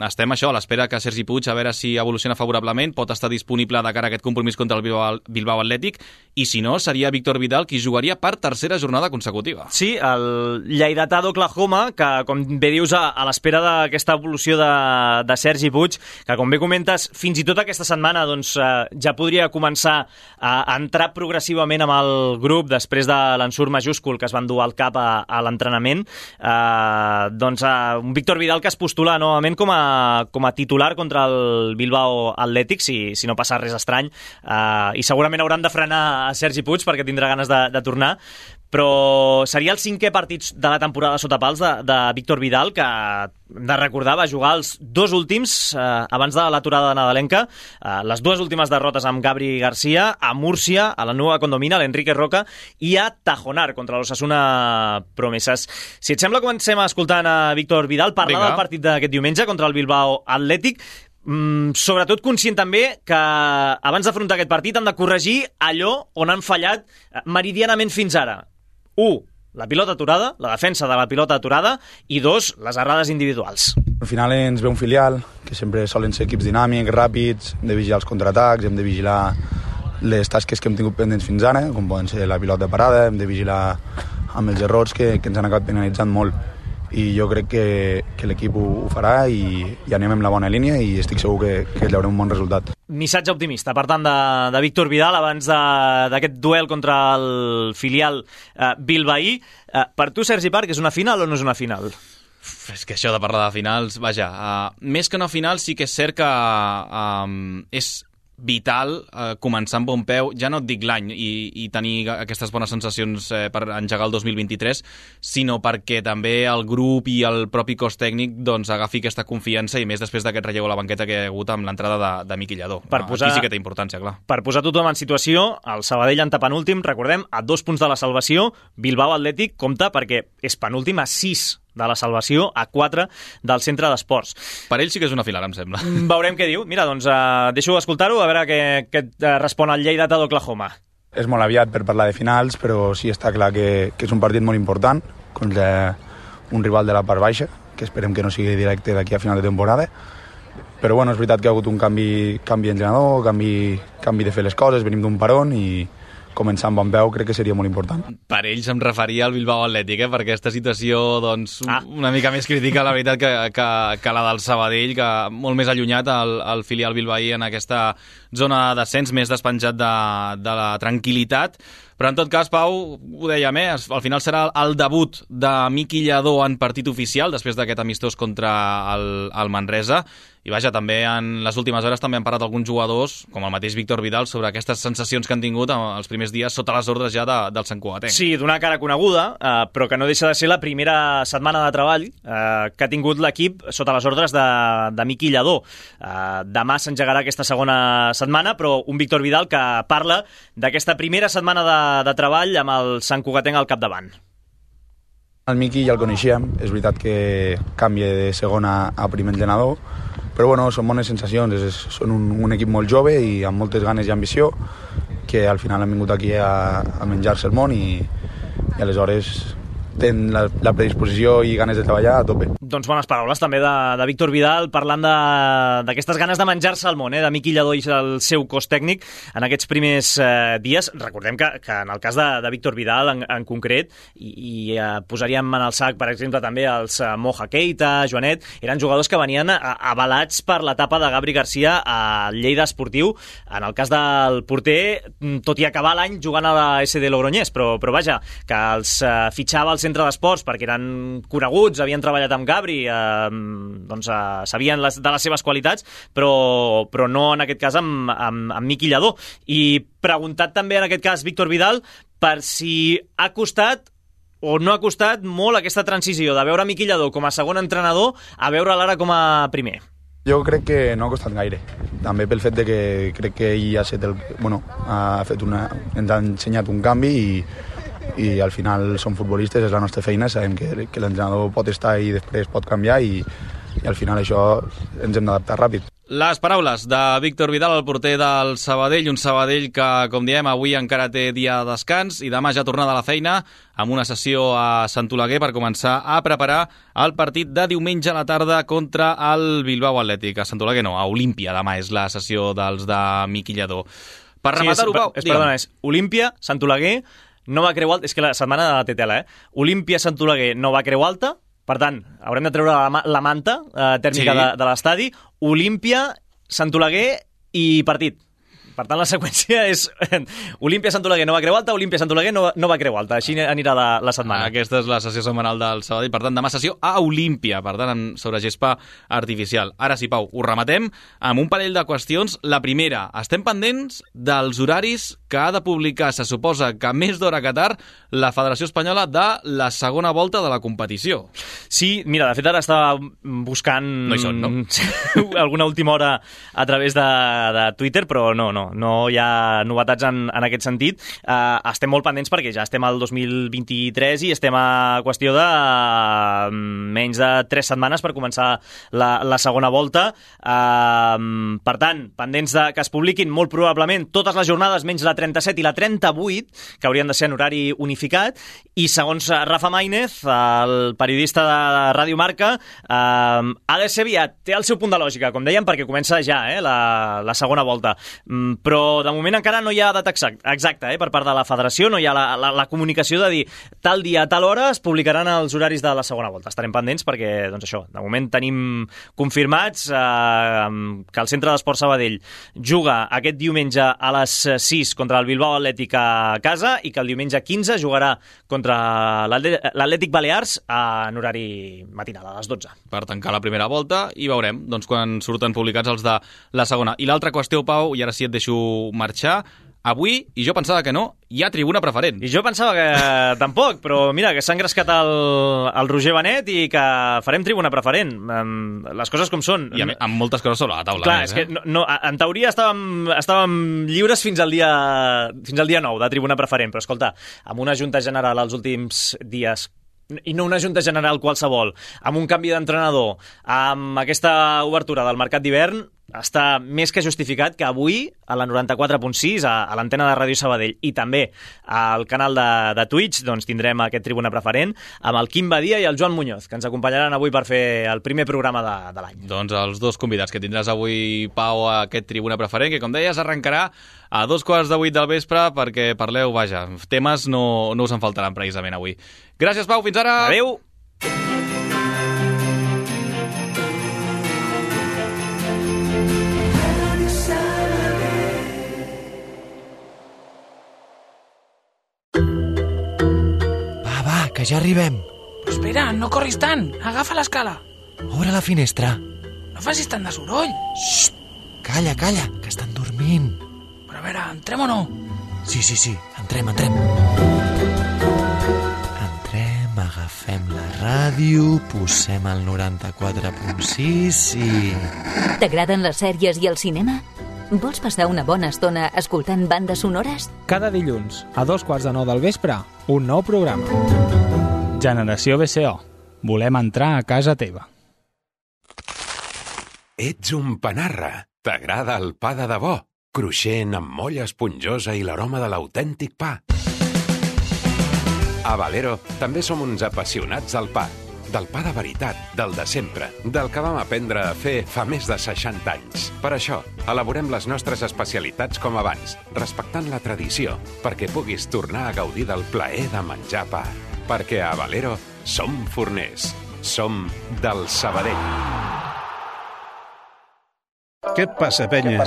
estem a l'espera que Sergi Puig, a veure si evoluciona favorablement, pot estar disponible de cara a aquest compromís contra el Bilbao Atlètic, i si no, seria Víctor Vidal qui jugaria per tercera jornada consecutiva. Sí, el lleidatà d'Oklahoma, que, com bé dius, a l'espera d'aquesta evolució de Sergi Puig, que, com bé comentes, fins i tot aquesta setmana doncs, ja podria començar a entrar progressivament amb el grup després de l'ensurt majúscul que es van dur al cap a l'entrenament. Un Víctor Vidal que es postula novament com a titular contra el Bilbao Atlètic, si no passa res estrany, i segurament hauran de frenar a Sergi Puig perquè tindrà ganes de tornar, però seria el 5è partit de la temporada sota pals de Víctor Vidal, que hem de recordar va jugar els 2 últims abans de l'aturada nadalenca, les 2 últimes derrotes amb Gabri Garcia, a Múrcia, a la Nueva Condomina, a l'Enrique Roca, i a Tajonar contra l'Osasuna Promeses. Si et sembla, comencem escoltant a Víctor Vidal parlar del partit d'aquest diumenge contra el Bilbao Atlètic, sobretot conscient també que abans d'afrontar aquest partit han de corregir allò on han fallat meridianament fins ara. 1. La pilota aturada, la defensa de la pilota aturada, i 2. Les errades individuals. Al final ens ve un filial, que sempre solen ser equips dinàmics, ràpids, hem de vigilar els contraatacs, hem de vigilar les tasques que hem tingut pendents fins ara, com poden ser la pilota parada, hem de vigilar amb els errors que ens han acabat penalitzant molt. I jo crec que l'equip ho farà i anem en la bona línia i estic segur que llaurem un bon resultat. Missatge optimista, per tant, de Víctor Vidal abans d'aquest duel contra el filial bilbaí. Per tu, Sergi Parc, és una final o no és una final? És que això de parlar de finals, més que una final sí que és cert que és vital començar amb bon peu, ja no et dic l'any i tenir aquestes bones sensacions per engegar el 2023, sinó perquè també el grup i el propi cos tècnic doncs agafi aquesta confiança, i més després d'aquest relleu a la banqueta que hi ha hagut amb l'entrada de Miqui Lladó. Aquí sí que té importància, clar. Per posar tothom en situació, el Sabadell en penúltim, recordem, a 2 punts de la salvació, Bilbao Atlètic compta perquè és penúltim a 6 de la salvació, a 4 del Centre d'Esports. Per ell sí que és una final, em sembla. Veurem què diu. Mira, doncs deixo escoltar-ho, a veure què respon el lleidatà d'Oklahoma. És molt aviat per parlar de finals, però sí està clar que és un partit molt important contra un rival de la part baixa, que esperem que no sigui directe d'aquí a final de temporada. Però és veritat que ha hagut un canvi d'entrenador, canvi de fer les coses, venim d'un paron i començar amb bon peu crec que seria molt important. Per ells em referia al Bilbao Atlètic, per aquesta situació doncs, una mica més crítica, la veritat, que la del Sabadell, que molt més allunyat el filial bilbaí en aquesta zona de descens, més despenjat de la tranquil·litat. Però en tot cas, Pau, ho dèiem, al final serà el debut de Miqui Lladó en partit oficial, després d'aquest amistós contra el Manresa. I vaja, també en les últimes hores també han parlat alguns jugadors, com el mateix Víctor Vidal, sobre aquestes sensacions que han tingut els primers dies sota les ordres ja del Sant Cugatenc. Sí, d'una cara coneguda, però que no deixa de ser la primera setmana de treball que ha tingut l'equip sota les ordres de Miqui Lladó. Demà s'engegarà aquesta segona setmana, però un Víctor Vidal que parla d'aquesta primera setmana de treball amb el Sant Cugatenc al capdavant. El Miqui ja el coneixíem, és veritat que canvia de segona a primer entrenador, però bueno, són bones sensacions, són un equip molt jove i amb moltes ganes i ambició, que al final han vingut aquí a menjar-se el món i aleshores tenen la predisposició i ganes de treballar a tope. Doncs bones paraules també de Víctor Vidal, parlant d'aquestes ganes de menjar-se el món, de Miqui Lladó i el seu cos tècnic en aquests primers dies. Recordem que en el cas de Víctor Vidal en concret, i posaríem en el sac, per exemple, també els Moja Keita, Joanet, eren jugadors que venien avalats per l'etapa de Gabri Garcia a Lleida Esportiu. En el cas del porter, tot i acabar l'any jugant a la SD Logroñés, però vaja, que els fitxava el centre d'esports perquè eren coneguts, havien treballat amb Gabri, sabien de les seves qualitats, però no en aquest cas amb Miqui Lladó. I preguntat també en aquest cas Víctor Vidal per si ha costat o no ha costat molt aquesta transició de veure Miqui Lladó com a segon entrenador a veure'l ara com a primer. Jo crec que no ha costat gaire, també pel fet de que crec que ell ens ha ensenyat un canvi i al final som futbolistes, és la nostra feina, sabem que l'entrenador pot estar i després pot canviar i al final això ens hem d'adaptar ràpid. Les paraules de Víctor Vidal, el porter del Sabadell, un Sabadell que, com diem, avui encara té dia de descans i demà ja tornada a la feina amb una sessió a Sant Oleguer per començar a preparar el partit de diumenge a la tarda contra el Bilbao Atlètic. A Sant Oleguer no, a Olímpia demà és la sessió dels de Miqui Lladó. Per rematar-ho, Pau, perdona, és Olímpia, Sant Oleguer, Nova Creu Alta, és que la setmana té tela, Olímpia, Sant Oleguer, Nova Creu Alta, per tant, haurem de treure la manta tèrmica de l'estadi, Olímpia, Sant Oleguer i partit. Per tant, la seqüència és Olímpia, Sant Oleguer, Nova Creu Alta, Olímpia, Sant Oleguer, Nova Creu Alta. Així anirà la setmana. Aquesta és la sessió setmanal del Sabadell. Per tant, demà sessió a Olímpia, per tant, sobre gespa artificial. Ara sí, Pau, ho rematem amb un parell de qüestions. La primera, estem pendents dels horaris que ha de publicar, se suposa que més d'hora que tard, la Federació Espanyola de la segona volta de la competició. Sí, mira, de fet ara estava buscant no hi són, no? alguna última hora a través de Twitter, però no hi ha novetats en aquest sentit. Estem molt pendents perquè ja estem al 2023 i estem a qüestió de menys de 3 setmanes per començar la segona volta. Per tant, pendents que es publiquin molt probablement totes les jornades menys la 37 i la 38, que haurien de ser en horari unificat, i segons Rafa Maínez, el periodista de Ràdio Marca, ha de ser aviat, té el seu punt de lògica, com dèiem, perquè comença ja la segona volta. Però de moment encara no hi ha data exacta per part de la federació, no hi ha la comunicació de dir tal dia, tal hora es publicaran els horaris de la segona volta. Estarem pendents perquè, doncs això, de moment tenim confirmats que el Centre d'Esport Sabadell juga aquest diumenge a les 6 contra el Bilbao Atlètic a casa i que el diumenge 15 jugarà contra l'Atlètic Balears en horari matinal, a les 12. Per tancar la primera volta i veurem quan surten publicats els de la segona. I l'altra qüestió, Pau, i ara sí et deixo marxar, avui, i jo pensava que no, hi ha tribuna preferent. I jo pensava que tampoc, però mira, que s'ha engrescat el Roger Benet i que farem tribuna preferent. Les coses com són. I amb moltes coses sobre la taula. Clar, és que en teoria estàvem lliures fins al dia 9 de tribuna preferent, però escolta, amb una junta general els últims dies, i no una junta general qualsevol, amb un canvi d'entrenador, amb aquesta obertura del mercat d'hivern, està més que justificat que avui a la 94.6, a l'antena de Ràdio Sabadell i també al canal de Twitch, doncs tindrem aquest Tribuna Preferent amb el Quim Badia i el Joan Muñoz, que ens acompanyaran avui per fer el primer programa de l'any. Doncs els dos convidats que tindràs avui, Pau, a aquest Tribuna Preferent, que com deies arrencarà a 7:15 del vespre perquè parleu, vaja, temes no us en faltaran precisament avui. Gràcies, Pau, fins ara! Adéu! Que ja arribem. Però espera, no corris tant. Agafa l'escala. Obre la finestra. No facis tant de soroll. Xxt! Calla, que estan dormint. Però a veure, entrem o no? Sí. Entrem. Entrem, agafem la ràdio, posem el 94.6 i... T'agraden les sèries i el cinema? Vols passar una bona estona escoltant bandes sonores? Cada dilluns, a 7:15 del vespre, un nou programa. Generació BCO. Volem entrar a casa teva. Ets un panarra. T'agrada el pa de debò, cruixent amb molla esponjosa i l'aroma de l'autèntic pa. A Valero també som uns apassionats del pa. Del pa de veritat, del de sempre, del que vam aprendre a fer fa més de 60 anys. Per això, elaborem les nostres especialitats com abans, respectant la tradició, perquè puguis tornar a gaudir del plaer de menjar pa. Perquè a Valero som forners, som del Sabadell. Què passa, penya?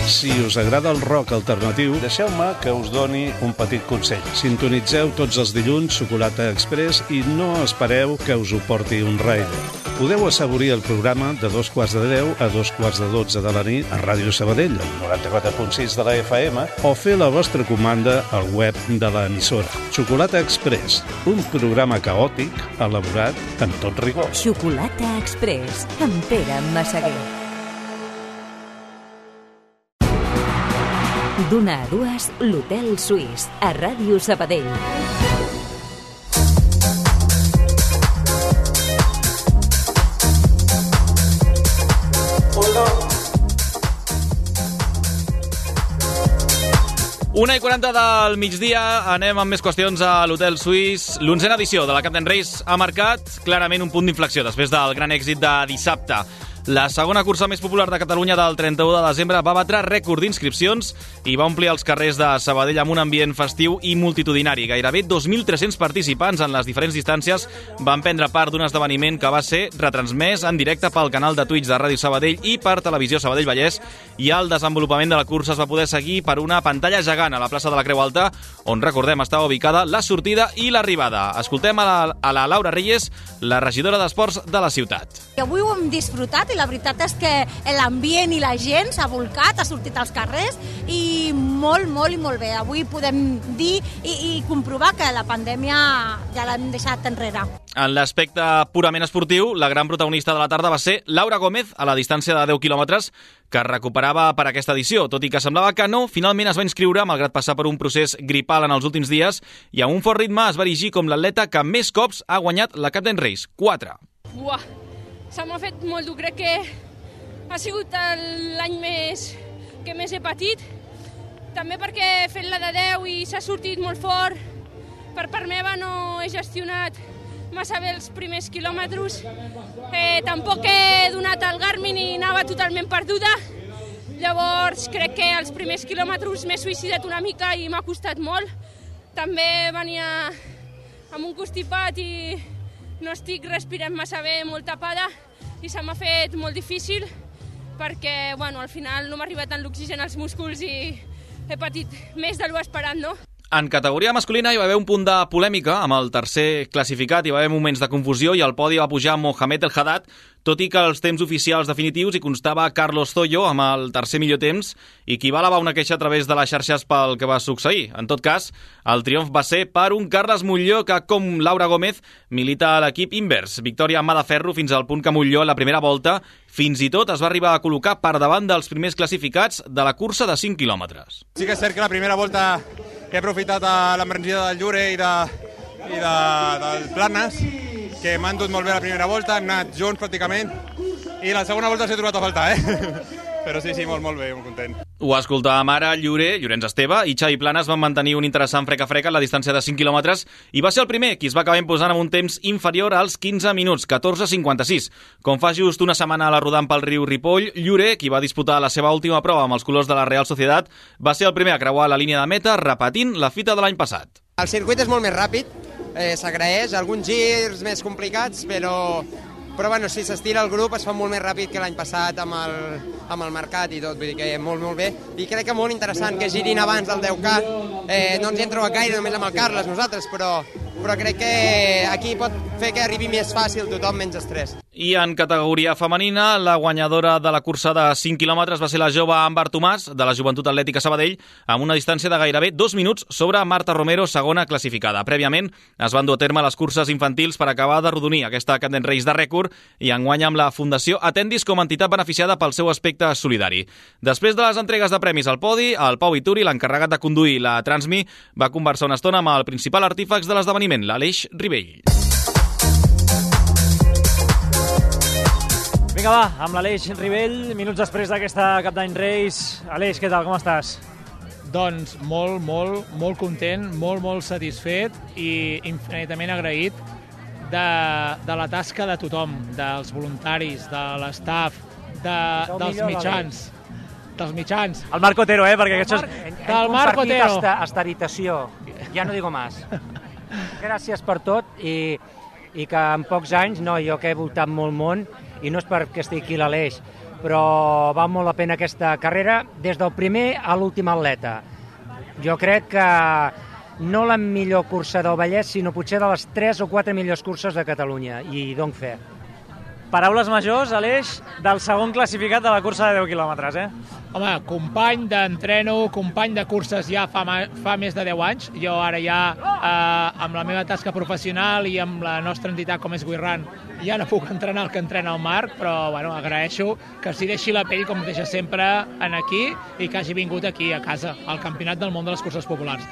Si us agrada el rock alternatiu, deixeu-me que us doni un petit consell. Sintonitzeu tots els dilluns Xocolata Express i no espereu que us ho porti un rider. Podeu assaborir el programa de 11:15 a 12:40 de la nit a Ràdio Sabadell, al 94.6 de la FM, o fer la vostra comanda al web de l'emissora. Xocolata Express, un programa caòtic elaborat amb tot rigor. Xocolata Express, amb Pere Massaguer. D'una a dues, l'Hotel Suís, a Ràdio Sabadell. Una i 40 del migdia, anem amb més qüestions a l'Hotel Suís. L'onzena edició de la Captain Race ha marcat clarament un punt d'inflexió després del gran èxit de dissabte. La segona cursa més popular de Catalunya del 31 de desembre va batre rècord d'inscripcions i va omplir els carrers de Sabadell amb un ambient festiu i multitudinari. Gairebé 2.300 participants en les diferents distàncies van prendre part d'un esdeveniment que va ser retransmès en directe pel canal de Twitch de Ràdio Sabadell i per Televisió Sabadell Vallès, i el desenvolupament de la cursa es va poder seguir per una pantalla gegant a la plaça de la Creu Alta, on, recordem, estava ubicada la sortida i l'arribada. Escoltem a la Laura Reyes, la regidora d'Esports de la ciutat. Avui ho hem disfrutat i la veritat és que l'ambient i la gent s'ha volcat, ha sortit als carrers i molt bé. Avui podem dir i comprovar que la pandèmia ja l'hem deixat enrere. En l'aspecte purament esportiu, la gran protagonista de la tarda va ser Laura Gómez a la distància de 10 quilòmetres que recuperava per aquesta edició, tot i que semblava que no, finalment es va inscriure, malgrat passar per un procés gripal en els últims dies, i amb un fort ritme es va erigir com l'atleta que més cops ha guanyat la Captain Race, 4. Buah, se m'ha fet molt dur, crec que ha sigut l'any que més he patit, també perquè he fet la de 10 i s'ha sortit molt fort. Per part meva no he gestionat massa bé els primers quilòmetres. Tampoc he donat el Garmin i anava totalment perduda. Llavors crec que els primers quilòmetres m'he suïcidat una mica i m'ha costat molt. També venia amb un constipat i no estic respirant massa bé, molt tapada, i se m'ha fet molt difícil perquè al final no m'ha arribat tant l'oxigen als músculs i he patit més de lo esperat, no? En categoria masculina hi va haver un punt de polèmica amb el tercer classificat, hi va haver moments de confusió i al podi va pujar Mohamed El Haddad, tot i que els temps oficials definitius hi constava Carlos Zoyo amb el tercer millor temps i qui va elevar una queixa a través de les xarxes pel que va succeir. En tot cas, el triomf va ser per un Carles Molló que, com Laura Gómez, milita a l'equip invers. Victòria amb mà de ferro fins al punt que Molló, a la primera volta, fins i tot es va arribar a col·locar per davant dels primers classificats de la cursa de 5 quilòmetres. Sí que és cert que la primera volta he aprofitat l'embranzida del Llure i del Planes, que m'han dut molt bé la primera volta, hem anat junts pràcticament, i la segona volta s'he trobat a faltar, Però sí, molt bé, molt content. Ho escoltàvem ara, Llorenç Esteve i Xavi Planes van mantenir un interessant freca-freca a la distància de 5 quilòmetres i va ser el primer qui es va acabar imposant amb un temps inferior als 15 minuts, 14:56. Com fa just una setmana a la rodant pel riu Ripoll, Llorer, qui va disputar la seva última prova amb els colors de la Real Sociedad, va ser el primer a creuar la línia de meta repetint la fita de l'any passat. El circuit és molt més ràpid, s'agraeix, alguns girs més complicats, però bueno, si s'estira el grup es fa molt més ràpid que l'any passat amb el mercat i tot, vull dir que molt bé. I crec que molt interessant que girin abans del 10K. No ens hi hem trobat gaire només amb el Carles nosaltres, però crec que aquí pot fer que arribi més fàcil tothom, menys estrès. I en categoria femenina, la guanyadora de la cursa de 5 quilòmetres va ser la jove Àmbar Tomàs, de la Joventut Atlètica Sabadell, amb una distància de gairebé 2 minuts sobre Marta Romero, segona classificada. Prèviament es van dur a terme les curses infantils per acabar d'arrodonir aquesta Cat and Race de rècord i enguany amb la Fundació Atendis com a entitat beneficiada pel seu aspecte solidari. Després de les entregues de premis al podi, el Pau Ituri, l'encarregat de conduir la Transmi, va conversar una estona amb el principal artífex de l'esdeveniment, l'Aleix Ribell. Vinga, va, amb l'Aleix Ribell, minuts després d'aquesta Cap d'Any Race. Aleix, què tal, com estàs? Doncs molt content, molt satisfet i infinitament agraït de la tasca de tothom, dels voluntaris, de l'estaf, dels mitjans. Dels mitjans. El Marc Otero, perquè això és... Del Marc Otero. Esta habitació, ja no digo más. Gràcies per tot i que en pocs anys, jo que he voltat molt món, i no és perquè estigui aquí l'Aleix, però val molt la pena aquesta carrera des del primer a l'últim atleta. Jo crec que no la millor cursa del Vallès, sinó potser de les 3 o 4 millors curses de Catalunya, i dono fe. Paraules majors, Aleix, del segon classificat de la cursa de 10 quilòmetres, Home, company d'entreno, company de curses ja fa més de 10 anys. Jo ara ja, amb la meva tasca professional i amb la nostra entitat com és Guirran, ja no puc entrenar el que entrena el Marc, però agraeixo que s'hi deixi la pell, com deixa sempre, aquí, i que hagi vingut aquí, a casa, al Campionat del Món de les Curses Populars.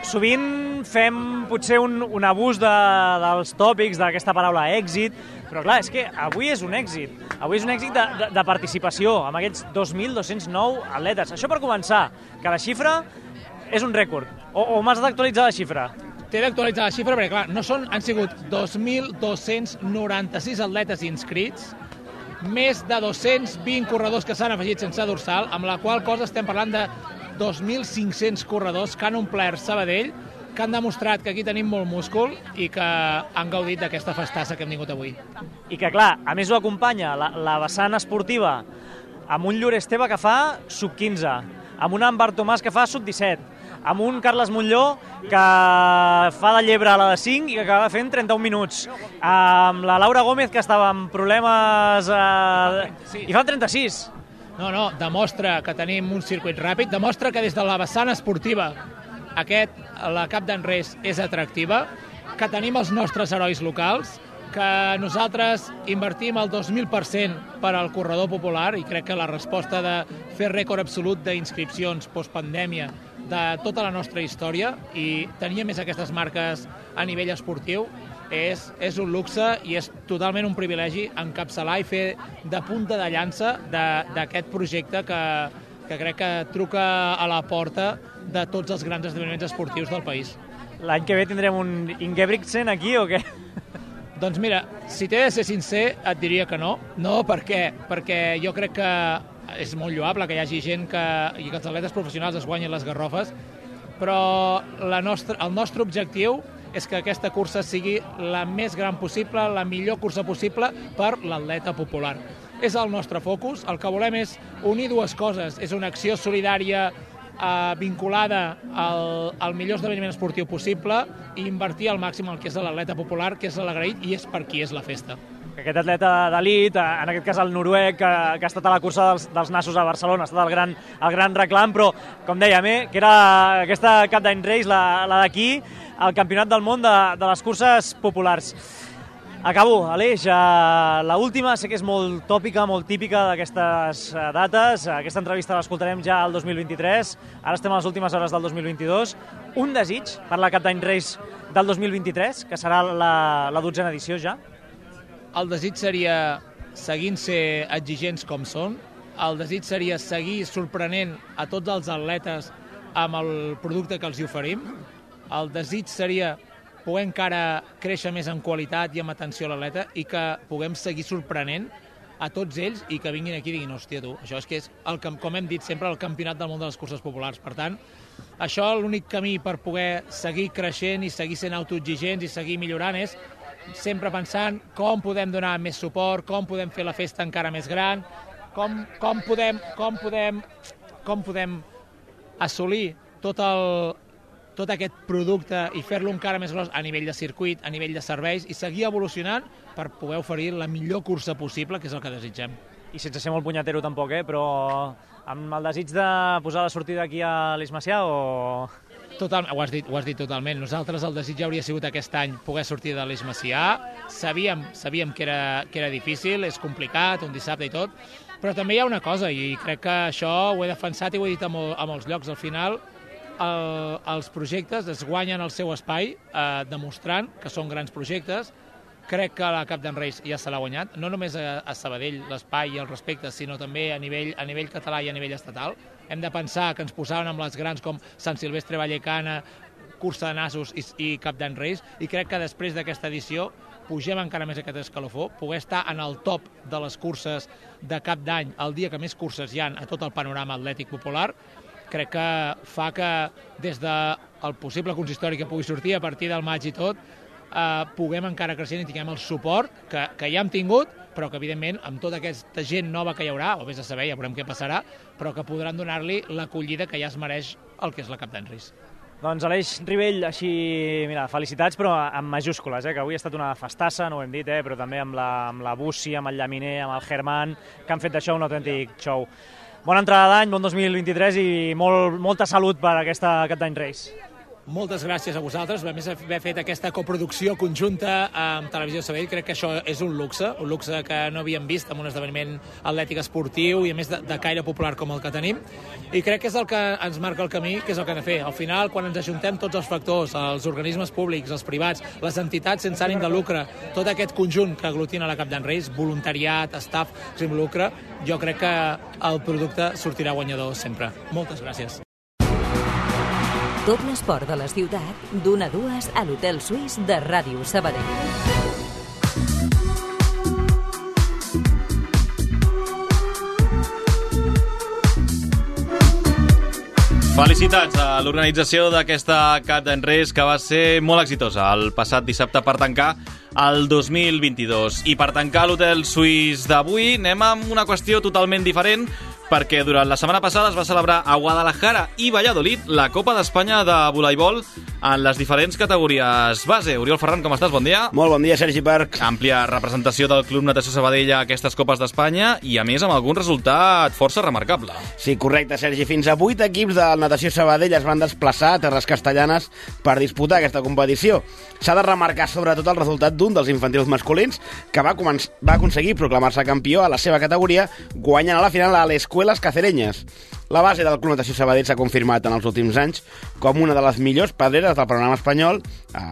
Sovint fem potser un abús dels tòpics d'aquesta paraula èxit, però clar, és que avui és un èxit. Avui és un èxit de participació, amb aquests 2.209 atletes. Això per començar, que la xifra és un rècord. O m'has d'actualitzar la xifra? T'he d'actualitzar la xifra perquè, clar, han sigut 2.296 atletes inscrits, més de 220 corredors que s'han afegit sense dorsal, amb la qual cosa estem parlant de 2.500 corredors que han omplert Sabadell, que han demostrat que aquí tenim molt múscul i que han gaudit d'aquesta festassa que hem tingut avui. I que, clar, a més ho acompanya la vessant esportiva amb un Llorer Esteve que fa sub-15, amb un Àmbar Tomàs que fa sub-17, amb un Carles Montlló que fa de llebre a la de 5 i que acaba fent 31 minuts, amb la Laura Gómez que estava amb problemes i fa 36. No, demostra que tenim un circuit ràpid, demostra que des de la vessant esportiva la Cap d'Any Race és atractiva, que tenim els nostres herois locals, que nosaltres invertim el 2.000% per al corredor popular i crec que la resposta de fer rècord absolut d'inscripcions postpandèmia de tota la nostra història i tenir més aquestes marques a nivell esportiu és un luxe i és totalment un privilegi encapçalar i fer de punta de llança d'aquest projecte que crec que truca a la porta de tots els grans esdeveniments esportius del país. L'any que ve tindrem un Ingebrigtsen aquí o què? Doncs mira, si t'he de ser sincer, et diria que no. No, per què? Perquè jo crec que és molt lloable que hi hagi gent i que els atletes professionals es guanyin les garrofes, però el nostre objectiu és que aquesta cursa sigui la més gran possible, la millor cursa possible per l'atleta popular. És el nostre focus, el que volem és unir dues coses, és una acció solidària vinculada al millor esdeveniment esportiu possible i invertir al màxim el que és l'atleta popular, que és l'agraït i és per qui és la festa. Aquest atleta d'elit, en aquest cas el noruec, que ha estat a la cursa dels nassos a Barcelona, ha estat el gran reclam, però, com dèiem, que era aquesta Cap d'Any Race, la d'aquí, el campionat del món de les curses populars. Acabo, Aleix, l'última sé que és molt tòpica, molt típica d'aquestes dates. Aquesta entrevista l'escoltarem ja al 2023, ara estem a les últimes hores del 2022. Un desig per la Cap d'Any Race del 2023, que serà la 12a edició ja? El desig seria seguint ser exigents com són, el desig seria seguir sorprenent a tots els atletes amb el producte que els hi oferim, el desig seria poder encara créixer més en qualitat i amb atenció a l'atleta i que puguem seguir sorprenent a tots ells i que vinguin aquí i diguin, hòstia, tu, això és que és, com hem dit sempre, el campionat del món de les curses populars. Per tant, això l'únic camí per poder seguir creixent i seguir sent autoexigents i seguir millorant és sempre pensant com podem donar més suport, com podem fer la festa encara més gran, com podem assolir tot aquest producte i fer-lo encara més gros a nivell de circuit, a nivell de serveis i seguir evolucionant per poder oferir la millor cursa possible, que és el que desitgem. I sense ser molt punyatero tampoc, però amb el desig de posar la sortida aquí a l'Eix Macià o... Total, ho has dit totalment. Nosaltres el desig hauria sigut aquest any poder sortir de l'Eix Macià. Sabíem que era difícil, és complicat, un dissabte i tot, però també hi ha una cosa, i crec que això ho he defensat i ho he dit a molts llocs. Al final, els projectes es guanyen el seu espai demostrant que són grans projectes. Crec que la Cup d'en Reis ja se l'ha guanyat, no només a Sabadell l'espai i el respecte, sinó també a nivell català i a nivell estatal. Hem de pensar que ens posaven amb les grans com Sant Silvestre Vallecana, Cursa de Nassos i Cup d'en Reis, i crec que després d'aquesta edició pugem encara més aquest escalofó, poder estar en el top de les curses de cap d'any, el dia que més curses hi ha a tot el panorama atlètic popular, crec que fa que des del possible consistori que pugui sortir a partir del maig i tot, puguem encara creixent i tinguem el suport que ja hem tingut, però que evidentment amb tota aquesta gent nova que hi haurà, o vés a saber, ja veurem què passarà, però que podran donar-li l'acollida que ja es mereix el que és la Cup d'en Reis. Doncs Aleix Rivell, així, mira, felicitats, però amb majúscules, que avui ha estat una festassa, no ho hem dit, però també amb la Bussi, amb el Llaminer, amb el Germán, que han fet d'això un autèntic show. Bona entrada d'any, bon 2023 i molta salut per aquesta Cup d'en Reis. Moltes gràcies a vosaltres, a més d'haver fet aquesta coproducció conjunta amb Televisió Sabadell. Crec que això és un luxe que no havíem vist en un esdeveniment atlètic esportiu i a més de caire popular com el que tenim. I crec que és el que ens marca el camí, que és el que hem de fer. Al final, quan ens ajuntem tots els factors, els organismes públics, els privats, les entitats sense ànim de lucre, tot aquest conjunt que aglutina la Cup d'en Reis, voluntariat, staff, sense lucre, jo crec que el producte sortirà guanyador sempre. Moltes gràcies. Tot l'esport de la ciutat, d'1 a 2 a l'Hotel Suís de Ràdio Sabadell. Felicitats a l'organització d'aquesta Cup d'en Reis, que va ser molt exitosa el passat dissabte per tancar el 2022. I per tancar l'Hotel Suís d'avui anem amb una qüestió totalment diferent, perquè durant la setmana passada es va celebrar a Guadalajara i Valladolid la Copa d'Espanya de voleibol en les diferents categories base. Oriol Ferran, com estàs? Bon dia. Molt bon dia, Sergi Parc. Àmplia representació del Club Natació Sabadell a aquestes Copes d'Espanya i, a més, amb algun resultat força remarcable. Sí, correcte, Sergi. Fins a 8 equips del Natació Sabadell es van desplaçar a Terres Castellanes per disputar aquesta competició. S'ha de remarcar sobretot el resultat d'un dels infantils masculins que va aconseguir proclamar-se campió a la seva categoria, guanyant a la final a l'Escuelas Cacereñas. La base del Club Natació Sabadell s'ha confirmat en els últims anys com una de les millors pedreres del panorama espanyol,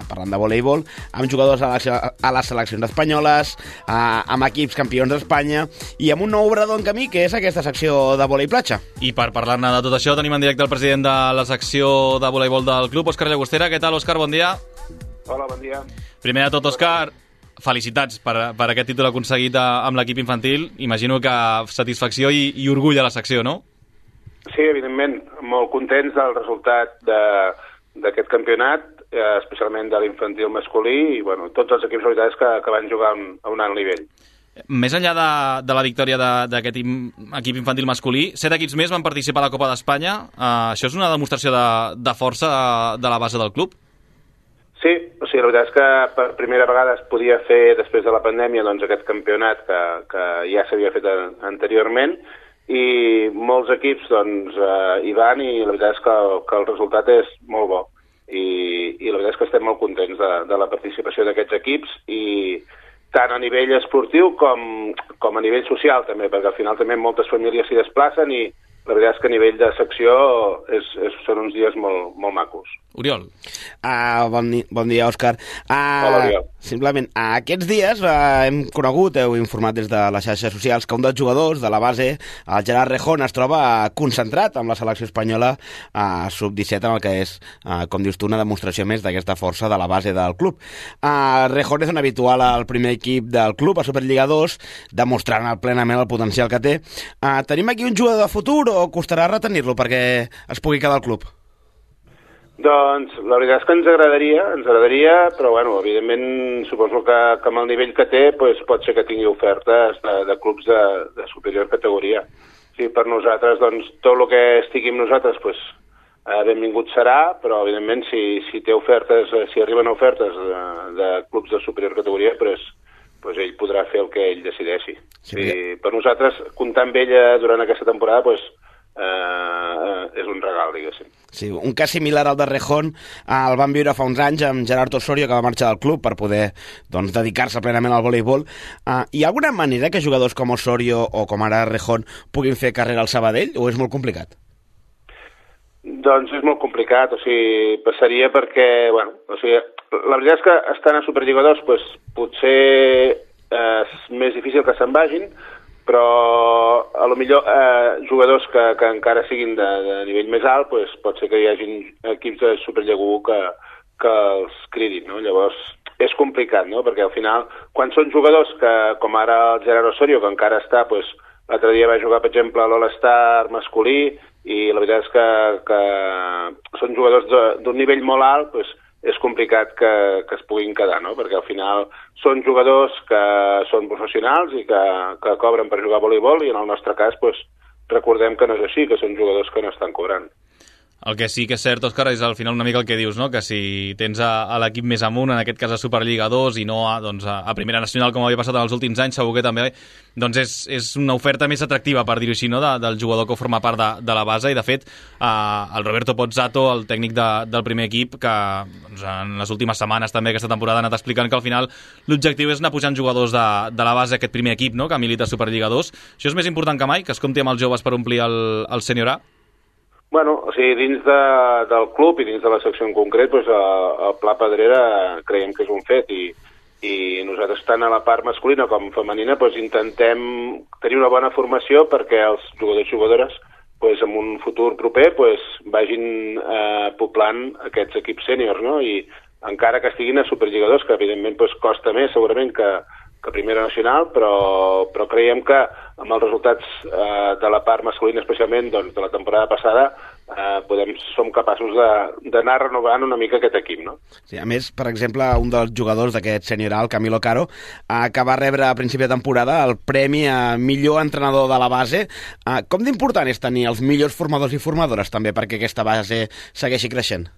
parlant de voleibol, amb jugadors a les seleccions espanyoles, amb equips campions d'Espanya i amb un nou obrador en camí, que és aquesta secció de vòlei platja. I per parlar-ne de tot això tenim en directe el president de la secció de voleibol del club, Òscar Llagostera. Què tal, Òscar? Bon dia. Hola, bon dia. Primer de tot, Òscar, felicitats per aquest títol aconseguit amb l'equip infantil. Imagino que satisfacció i orgull a la secció, no? Sí, evidentment, molt contents del resultat d'aquest campionat, especialment de l'infantil masculí, i bueno, tots els equips, la veritat és que van jugar a un alt nivell. Més enllà de la victòria d'aquest equip infantil masculí, 7 equips més van participar a la Copa d'Espanya. Això és una demostració de força de la base del club? Sí, o sigui, la veritat és que per primera vegada es podia fer, després de la pandèmia, doncs, aquest campionat que ja s'havia fet anteriorment, i molts equips doncs, hi van, i la veritat és que el resultat és molt bo. I la veritat és que estem molt contents de la participació d'aquests equips, i tant a nivell esportiu com a nivell social també, perquè al final també moltes famílies s'hi desplacen, i la veritat és que a nivell de secció són uns dies molt macos. Oriol. Bon dia, Òscar. Hola, Oriol. Simplement, aquests dies hem conegut, heu informat des de les xarxes socials, que un dels jugadors de la base, el Gerard Rejón, es troba concentrat amb la selecció espanyola sub-17, en el que és, com dius tu, una demostració més d'aquesta força de la base del club. Rejón és un habitual al primer equip del club, a Superliga 2, demostrant plenament el potencial que té. Tenim aquí un jugador de futur o costarà retenir-lo perquè es pugui quedar al club? Doncs la veritat és que ens agradaria, però bueno, evidentment suposo que amb el nivell que té doncs pot ser que tingui ofertes de clubs de superior categoria. Sí, per nosaltres, doncs, tot el que estigui amb nosaltres, doncs, benvingut serà, però evidentment si té ofertes, si arriben ofertes de clubs de superior categoria, doncs ell podrà fer el que ell decideixi. Sí, per nosaltres, comptar amb ell durant aquesta temporada, doncs, és un regal, diguéssim. Sí, un cas similar al de Rejón el van viure fa uns anys amb Gerard Osorio, que va marxar del club per poder dedicar-se plenament al voleibol. Hi ha alguna manera que jugadors com Osorio o com ara Rejón puguin fer carrera al Sabadell o és molt complicat? Doncs és molt complicat, passaria perquè, la veritat és que estan a Superliga 2 potser és més difícil que se'n vagin, però a lo millor jugadors que encara siguin de nivell més alt, pot ser que hi hagi equips de Superliga 1 que els cridin, no? Llavors és complicat, no? Perquè al final, quan són jugadors com ara el Gerard Osorio, que encara està, l'altre dia va jugar, per exemple, a l'All-Star masculí, i la veritat és que són jugadors d'un nivell molt alt, és complicat que es puguin quedar, no? Perquè al final són jugadors que són professionals i que cobren per jugar a voleibol, i en el nostre cas recordem que no és així, que són jugadors que no estan cobrant. El que sí que és cert, Òscar, és al final una mica el que dius, no? Que si tens a l'equip més amunt, en aquest cas a Superliga 2 i no a Primera Nacional, com havia passat en els últims anys, segur que també és una oferta més atractiva, per dir-ho així, no? Del jugador que forma part de la base. I de fet, el Roberto Pozzato, el tècnic del primer equip, que en les últimes setmanes també aquesta temporada ha anat explicant que al final l'objectiu és anar pujant jugadors de la base aquest primer equip, no? Que milita a Superliga 2. Això és més important que mai, que es compti amb els joves per omplir el Sènior A? Bueno, dins del club i dins de la secció en concret, el Pla Pedrera creiem que és un fet, i nosaltres tant a la part masculina com femenina intentem tenir una bona formació perquè els jugadors i jugadores en un futur proper vagin poblant aquests equips sèniors, no? I encara que estiguin a Superliga 2, que evidentment costa més segurament que Primera Nacional, però creiem que amb els resultats de la part masculina, especialment de la temporada passada, som capaços d'anar renovant una mica aquest equip, no? Sí, a més, per exemple, un dels jugadors d'aquest sènior A, el Camilo Caro, que va rebre a principi de temporada el premi a millor entrenador de la base. Com d'important és tenir els millors formadors i formadores també perquè aquesta base segueixi creixent?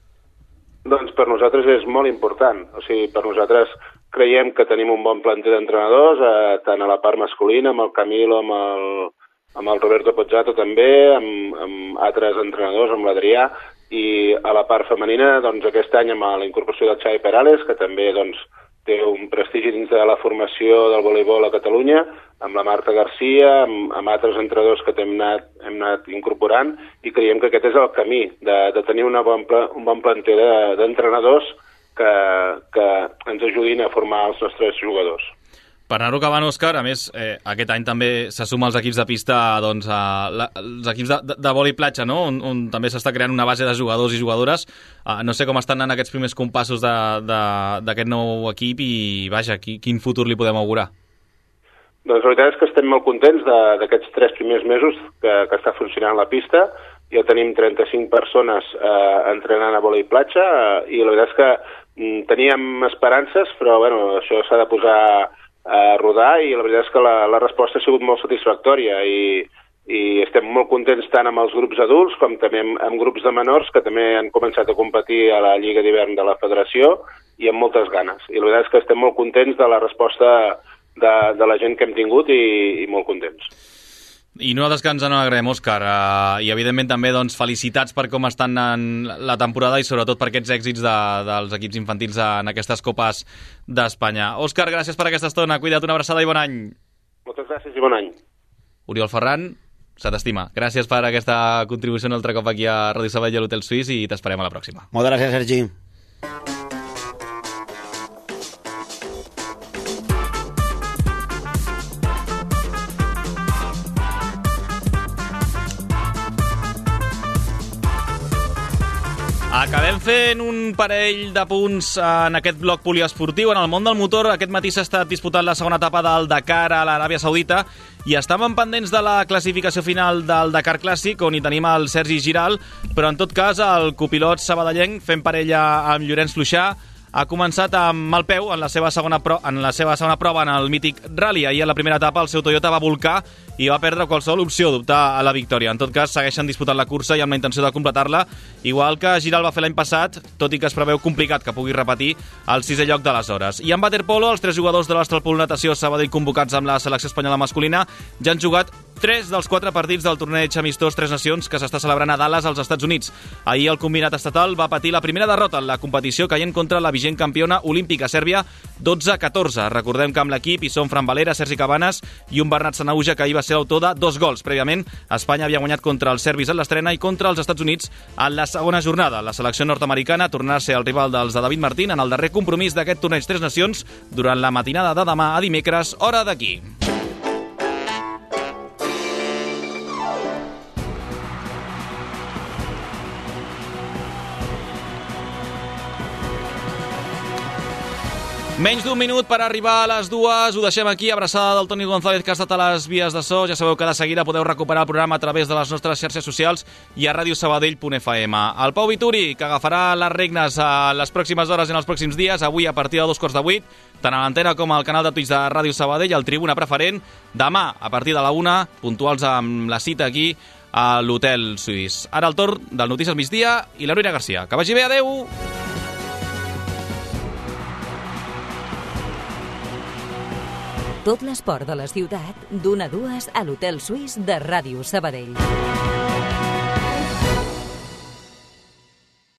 Doncs per nosaltres és molt important. Per nosaltres creiem que tenim un bon planter d'entrenadors, tant a la part masculina, amb el Camilo, amb el Roberto Pozzato també, amb altres entrenadors, amb l'Adrià, i a la part femenina, aquest any amb la incorporació del Xavi Perales, que també té un prestigi dins de la formació del voleibol a Catalunya, amb la Marta Garcia, amb altres entrenadors que hem anat incorporant, i creiem que aquest és el camí, de tenir un bon planter d'entrenadors que ens ajudin a formar els nostres jugadors. Per anar-ho acabant, Òscar, a més, aquest any també se suma als equips de pista, els equips de vòlei platja, no? On també s'està creant una base de jugadors i jugadores. No sé com estan anant aquests primers compassos d'aquest nou equip i, vaja, quin futur li podem augurar? Doncs la veritat és que estem molt contents d'aquests 3 primers mesos que està funcionant la pista. Ja tenim 35 persones entrenant a vòlei platja, i la veritat és que teníem esperances, però això s'ha de posar a rodar, i la veritat és que la resposta ha sigut molt satisfactòria, i estem molt contents tant amb els grups adults com també amb grups de menors que també han començat a competir a la Lliga d'Hivern de la Federació, i amb moltes ganes. I la veritat és que estem molt contents de la resposta de la gent que hem tingut, i molt contents. I nosaltres que ens n'alegrem, Òscar, i evidentment també felicitats per com estan en la temporada i sobretot per aquests èxits dels equips infantils en aquestes Copes d'Espanya. Òscar, gràcies per aquesta estona, cuida't, una abraçada i bon any. Moltes gràcies i bon any. Oriol Ferran, se t'estima. Gràcies per aquesta contribució un altre cop aquí a Ràdio Sabadell i a l'Hotel Suís, i t'esperem a la pròxima. Moltes gràcies, Sergi. Acabem fent un parell de punts en aquest bloc poliesportiu. En el món del motor, aquest matí s'ha estat disputant la segona etapa del Dakar a l'Aràbia Saudita i estàvem pendents de la classificació final del Dakar Clàssic, on hi tenim el Sergi Giral, però en tot cas el copilot sabadellenc, fent parella amb Llorenç Fluixà, ha començat amb mal peu en la seva segona prova en el mític Rally. Ahir a la primera etapa el seu Toyota va volcar i va perdre qualsevol opció d'optar a la victòria. En tot cas, segueixen disputant la cursa i amb la intenció de completar-la, igual que Giral va fer l'any passat, tot i que es preveu complicat que pugui repetir el 6è lloc d'aleshores. I en waterpolo, els 3 jugadors de l'Astalpol Natació Sabadell convocats amb la selecció espanyola masculina ja han jugat 3 dels 4 partits del torneig amistós Tres Nacions que s'està celebrant a Dallas, als Estats Units. Ahir el combinat estatal va patir la primera derrota en la competició caient contra la vigent campiona olímpica Sèrbia 12-14. Recordem que amb l'equip hi són Fran Valera, Sergi Cabanes i un Bernat Sanauja, que ahir va ser l'autor de 2 gols. Prèviament, Espanya havia guanyat contra els serbis en l'estrena i contra els Estats Units en la segona jornada. La selecció nord-americana tornarà a ser el rival dels de David Martín en el darrer compromís d'aquest torneig Tres Nacions durant la matinada de demà a dimecres, hora d'aquí. Menys d'un minut per arribar a les 2. Ho deixem aquí. Abraçada del Toni González, que ha estat a les vies de so. Ja sabeu que de seguida podeu recuperar el programa a través de les nostres xarxes socials i a radiosabadell.fm. El Pau Vituri, que agafarà les regnes a les pròximes hores i en els pròxims dies, avui a partir de 2:15, tant a l'antena com al canal de Twitch de Ràdio Sabadell, al Tribuna Preferent. Demà, a partir de la 1, puntuals amb la cita aquí a l'Hotel Suís. Ara el torn del Notícies Migdia i la Núria Garcia. Que vagi bé, adeu! Tot l'esport de la ciutat, d'1 a 2 a l'Hotel Suís de Ràdio Sabadell.